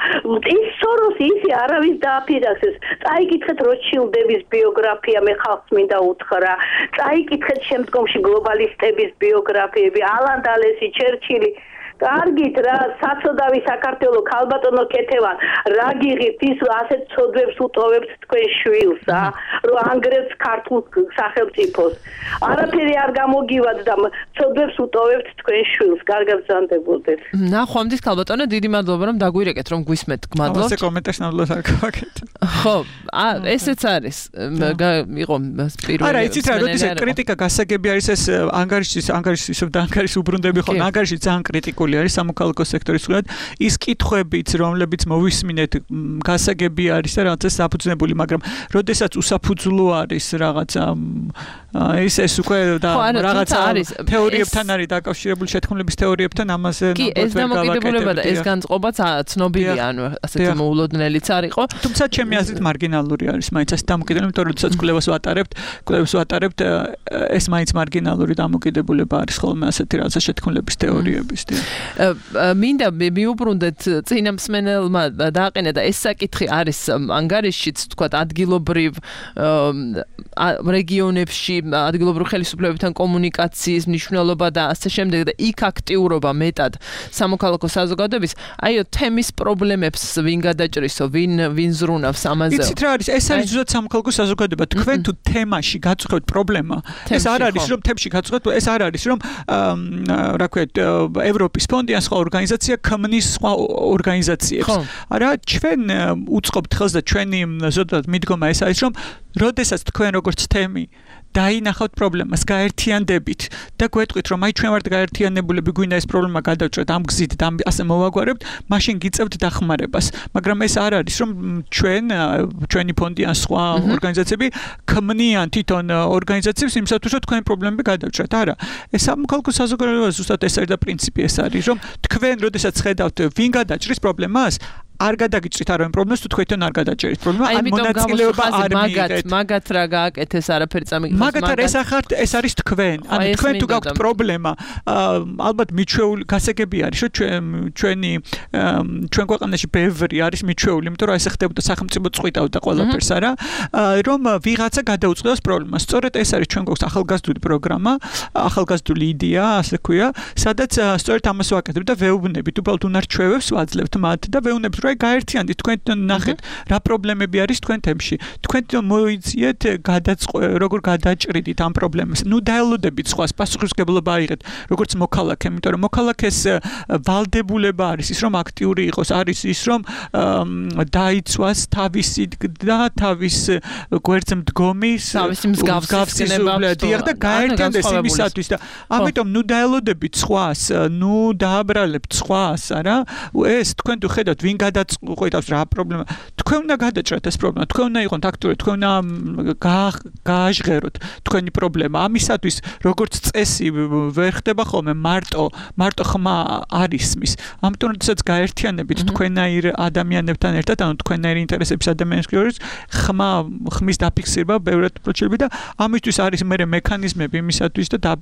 ის სოროს ისი არავის დააფინანსეს. წაიკითხეთ როჩილდების ბიოგრაფია, მე ხალხს მინდა უთხრა. წაიკითხეთ შემდგომში გლობალისტების ბიოგრაფიები, ალან დალესი, ჩერჩილი. კარგით რა საწოდავი საქართველოს ქალბატონო კეთევან რა გიღით ის ასეთ ცოდვებს უტოვებს თქვენ შვილს რომ ანგრევს ქართულ სახელმწიფოს არაფერი არ გამოგივათ და ცოდვებს უტოვებთ თქვენ შვილს კარგად ბრძანდებოდეთ ნახვამდის ქალბატონო დიდი მადლობა რომ დაგვირეკეთ რომ გვისმეთ გმადლობთ ასე კომენტარს ნამდვილად არ გავაკეთე ხო ესეც არის იყო პირველი არა იცით რა როდესაც კრიტიკა გასაგები არის ეს ანგარიშის უბრუნდები ხო ანგარიში ძალიან კრიტიკული არის სამოქალაქო სექტორის მხარეს ის კითხვებიც რომლებიც მოვისმინეთ გასაგები არის და რაღაცა საფუძვლებული მაგრამ როდესაც უსაფუძვლო არის რაღაცა ეს უკვე და რაღაცა თეორიებთან არის დაკავშირებული შეთქმულების თეორიებთან ამაზე კი ეს დამოკიდებულება და ეს განწყობაც ცნობილია ანუ ასეთი მოულოდნელიც არისო თუმცა ჩემი აზრით მარგინალური არის მაინც ეს დამოკიდებულება იმიტომ რომ როდესაც კვლევას ვატარებთ ეს მაინც მარგინალური დამოკიდებულება არის ხოლმე ასეთი რაღაცა შეთქმულების თეორიების მინდა მიუბრუნდეთ წინა მსმენელმა დააყენა და ეს საკითხი არის ანგარიშშიც თქვა ადგილობრივ რეგიონებში ადგილობრივ ხელისუფლებებთან კომუნიკაციის მნიშვნელობა და ასე შემდეგ და იქ აქტიურობა მეტად სამოქალაქო საზოგადოების აიო თემის პრობლემებს ვინ გადაჭრისო ვინ ზრუნავს ამაზე იცით რა არის ეს არის ზუსტად სამოქალაქო საზოგადოება თქვენ თუ თემაში გაწუხებთ პრობლემა ეს არ არის რომ თემში გაწუხებთ ეს არ არის რომ რა ქვია ევროპის ფონდი ან სხვა ორგანიზაცია ქმნის სხვა ორგანიზაციებს არა ჩვენ უწყობთ ხელს და ჩვენი ზოგადად მიდგომა ეს არის რომ როდესაც თქვენ როგორც თემი დაინახავთ პრობლემას გაერთიანდებით და გვეტყვით რომ აი ჩვენ ვართ გაერთიანებულები გვინდა ეს პრობლემა გადავჭრათ ამ გზით და ასე მოვაგვარებთ მაშინ გიწევთ დახმარებას მაგრამ ეს არ არის რომ ჩვენი ფონდი ან სხვა ორგანიზაციები ქმნიან თვითონ ორგანიზაციებს იმისათვის რომ თქვენი პრობლემები გადავჭრათ არა ეს სამოქალაქო საზოგადოება ზუსტად ეს არის და პრინციპი ეს არის რომ თქვენ როდესაც ხედავთ ვინ გადაჭრის პრობლემას არ გადაგიჭრით არავინ პრობლემას თუ თქვენ არ გადაჭერით პრობლემა ან მონაწილეობა არ მიიღეთ მაგათ რა გააკეთეს არაფერი წამიგდეს მაგათ ეს ახართ ეს არის თქვენ ანუ თქვენ თუ გაქვთ პრობლემა ალბათ მიჩვეული გასაგები არის რომ ჩვენ ქვეყანაში ბევრი არის მიჩვეული იმიტომ რომ ესე ხდებოდა სახელმწიფო წყვიტავდა ყველაფერს არა რომ ვიღაცა გადაუწყდეს პრობლემას სწორედ ეს არის ჩვენ გვაქვს ახალგაზრდული პროგრამა ახალგაზრდული იდეა ასე ქვია სადაც სწორედ ამას ვაკეთებ და ვეუბნებით უბრალოდ უნარჩვევებს ვაძლევთ მათ და ვეუბნებით რა გაერთიანდით თქვენ ნახეთ რა პრობლემები არის თქვენ თემში თქვენ მოიძიეთ როგორ გადაჭრიდით ამ პრობლემას ნუ დაელოდებით სხვას პასუხისმგებლობა აიღეთ როგორც მოქალაქე იმიტომ რომ მოქალაქეს ვალდებულება არის ის რომ აქტიური იყოს არის ის რომ დაიცვას თავისი და თავის გვერდზე მდგომის თავისი მსგავსი და გაერთიანდეს იმისათვის და ამიტომ ნუ დაელოდებით სხვას ნუ დააბრალებთ სხვას არა ეს თქვენ თუ ხედავთ ვინ გადაწყვეტავს რა პრობლემა თქვენ უნდა გადაჭრათ ეს პრობლემა თქვენ უნდა იყოთ აქტიური თქვენ უნდა გააჟღეროთ თქვენი პრობლემა ამისათვის როგორც წესი ვერ ხდება ხოლმე მარტო ხმა არ ისმის ამიტომ როდესაც გაერთიანებით თქვენაირ ადამიანებთან ერთად ანუ თქვენაირ ინტერესების ადამიანებს შორის ხმის დაფიქსირება ბევრად პროცედურები და ამისთვის არის მექანიზმები იმისათვის და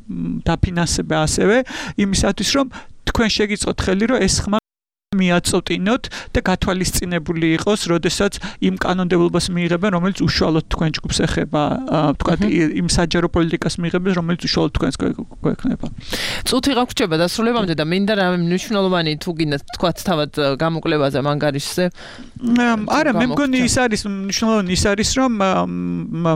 დაფინანსება ასევე იმისათვის რომ თქვენ შეგიწყოთ ხელი რომ ეს ხმა მიაწოტინოთ და გათვალისწინებული იყოს, როდესაც იმ კანონმდებლობას მიიღებენ, რომელიც უშუალოდ თქვენ ჯგუფს ეხება, თქვა იმ საჯარო პოლიტიკას მიიღებენ, რომელიც უშუალოდ თქვენს გვექნება. წუთი გაგვჭება დასრულებამდე და მინდა რამე მნიშვნელოვანი თუ გინდა თქვა თავად გამოკლებაზე მანგარიშზე. არა, მე მგონი ის არის მნიშვნელოვანი ის არის, რომ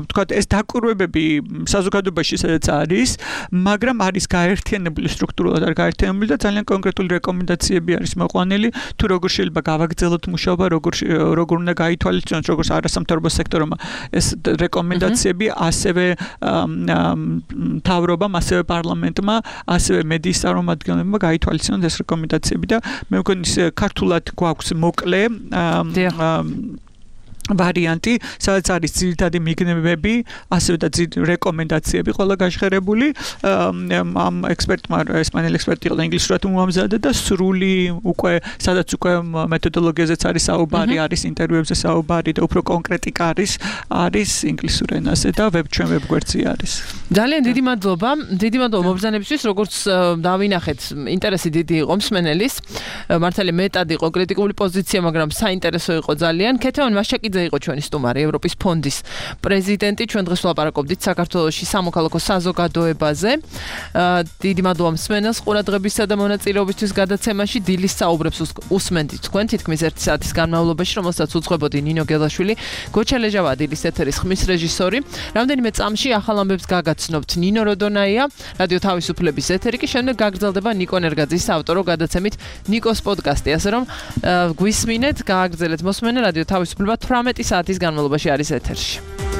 თქვა ეს დაკვირვებები საზოგადოებაში სადაც არის, მაგრამ არის გაერთიანებული სტრუქტურულად არ გაერთიანებული და ძალიან კონკრეტული რეკომენდაციები არის მოყვანილი თუ როგორ შეიძლება გავაგრძელოთ მუშაობა, როგორ უნდა გაითვალისწინოთ, როგორც არასამთავრობო სექტორმა ეს რეკომენდაციები ასევე მთავრობამ, ასევე პარლამენტმა, ასევე მედიის წარმომადგენლებმა გაითვალისწინოთ ეს რეკომენდაციები და მე მგონი ქართულად გვაქვს მოკლე ვარიანტი, სადაც არის ძირითადი მიგნებები, ასევე და რეკომენდაციები ყველა გაჟღერებული. ამ ექსპერტმა ესპანელი ექსპერტი იყო ინგლისურად უმამზადა და სრული უკვე სადაც უკვე მეთოდოლოგიაზეც არის საუბარი, არის ინტერვიუებზე საუბარი და უფრო კონკრეტიკა არის ინგლისურ ენაზე და ჩვენ ვებგვერდზე არის. ძალიან დიდი მადლობა მობრძანებისთვის, როგორც დავინახეთ, ინტერესი დიდი იყო მსმენელის. მართალი მეტად იყო კრიტიკული პოზიცია, მაგრამ საინტერესო იყო ძალიან. ქეთევან მასჭაკიძე ჭკვიანძე იყო ჩვენი სტუმარი, ევროპის ფონდის პრეზიდენტი. ჩვენ დღეს ვლაპარაკობდით საქართველოში სამოქალაქო საზოგადოებაზე. დიდი მადლობა მსმენელს ყურადღებისა და მონაწილეობისთვის გადაცემაში. დილის საუბრებს უსმენდით თქვენ თითქმის 1 საათის განმავლობაში, რომელსაც უძღვებოდი ნინო გელაშვილი, გოჩა ლეჟავა დილის ეთერის ხმის რეჟისორი. რამდენიმე წამში ახალ ამბებს გაგაცნობთ ნინო როდონაია, რადიო თავისუფლების ეთერი კი შემდეგ გაგრძელდება ნიკო ნერგაძის ავტორო გადაცემით ნიკოს პოდკასტი, ასე რომ გვისმინეთ, გააგრძელეთ მოსმენა, რადიო თავისუფლება 18 საათის განმავლობაში არის ეთერში.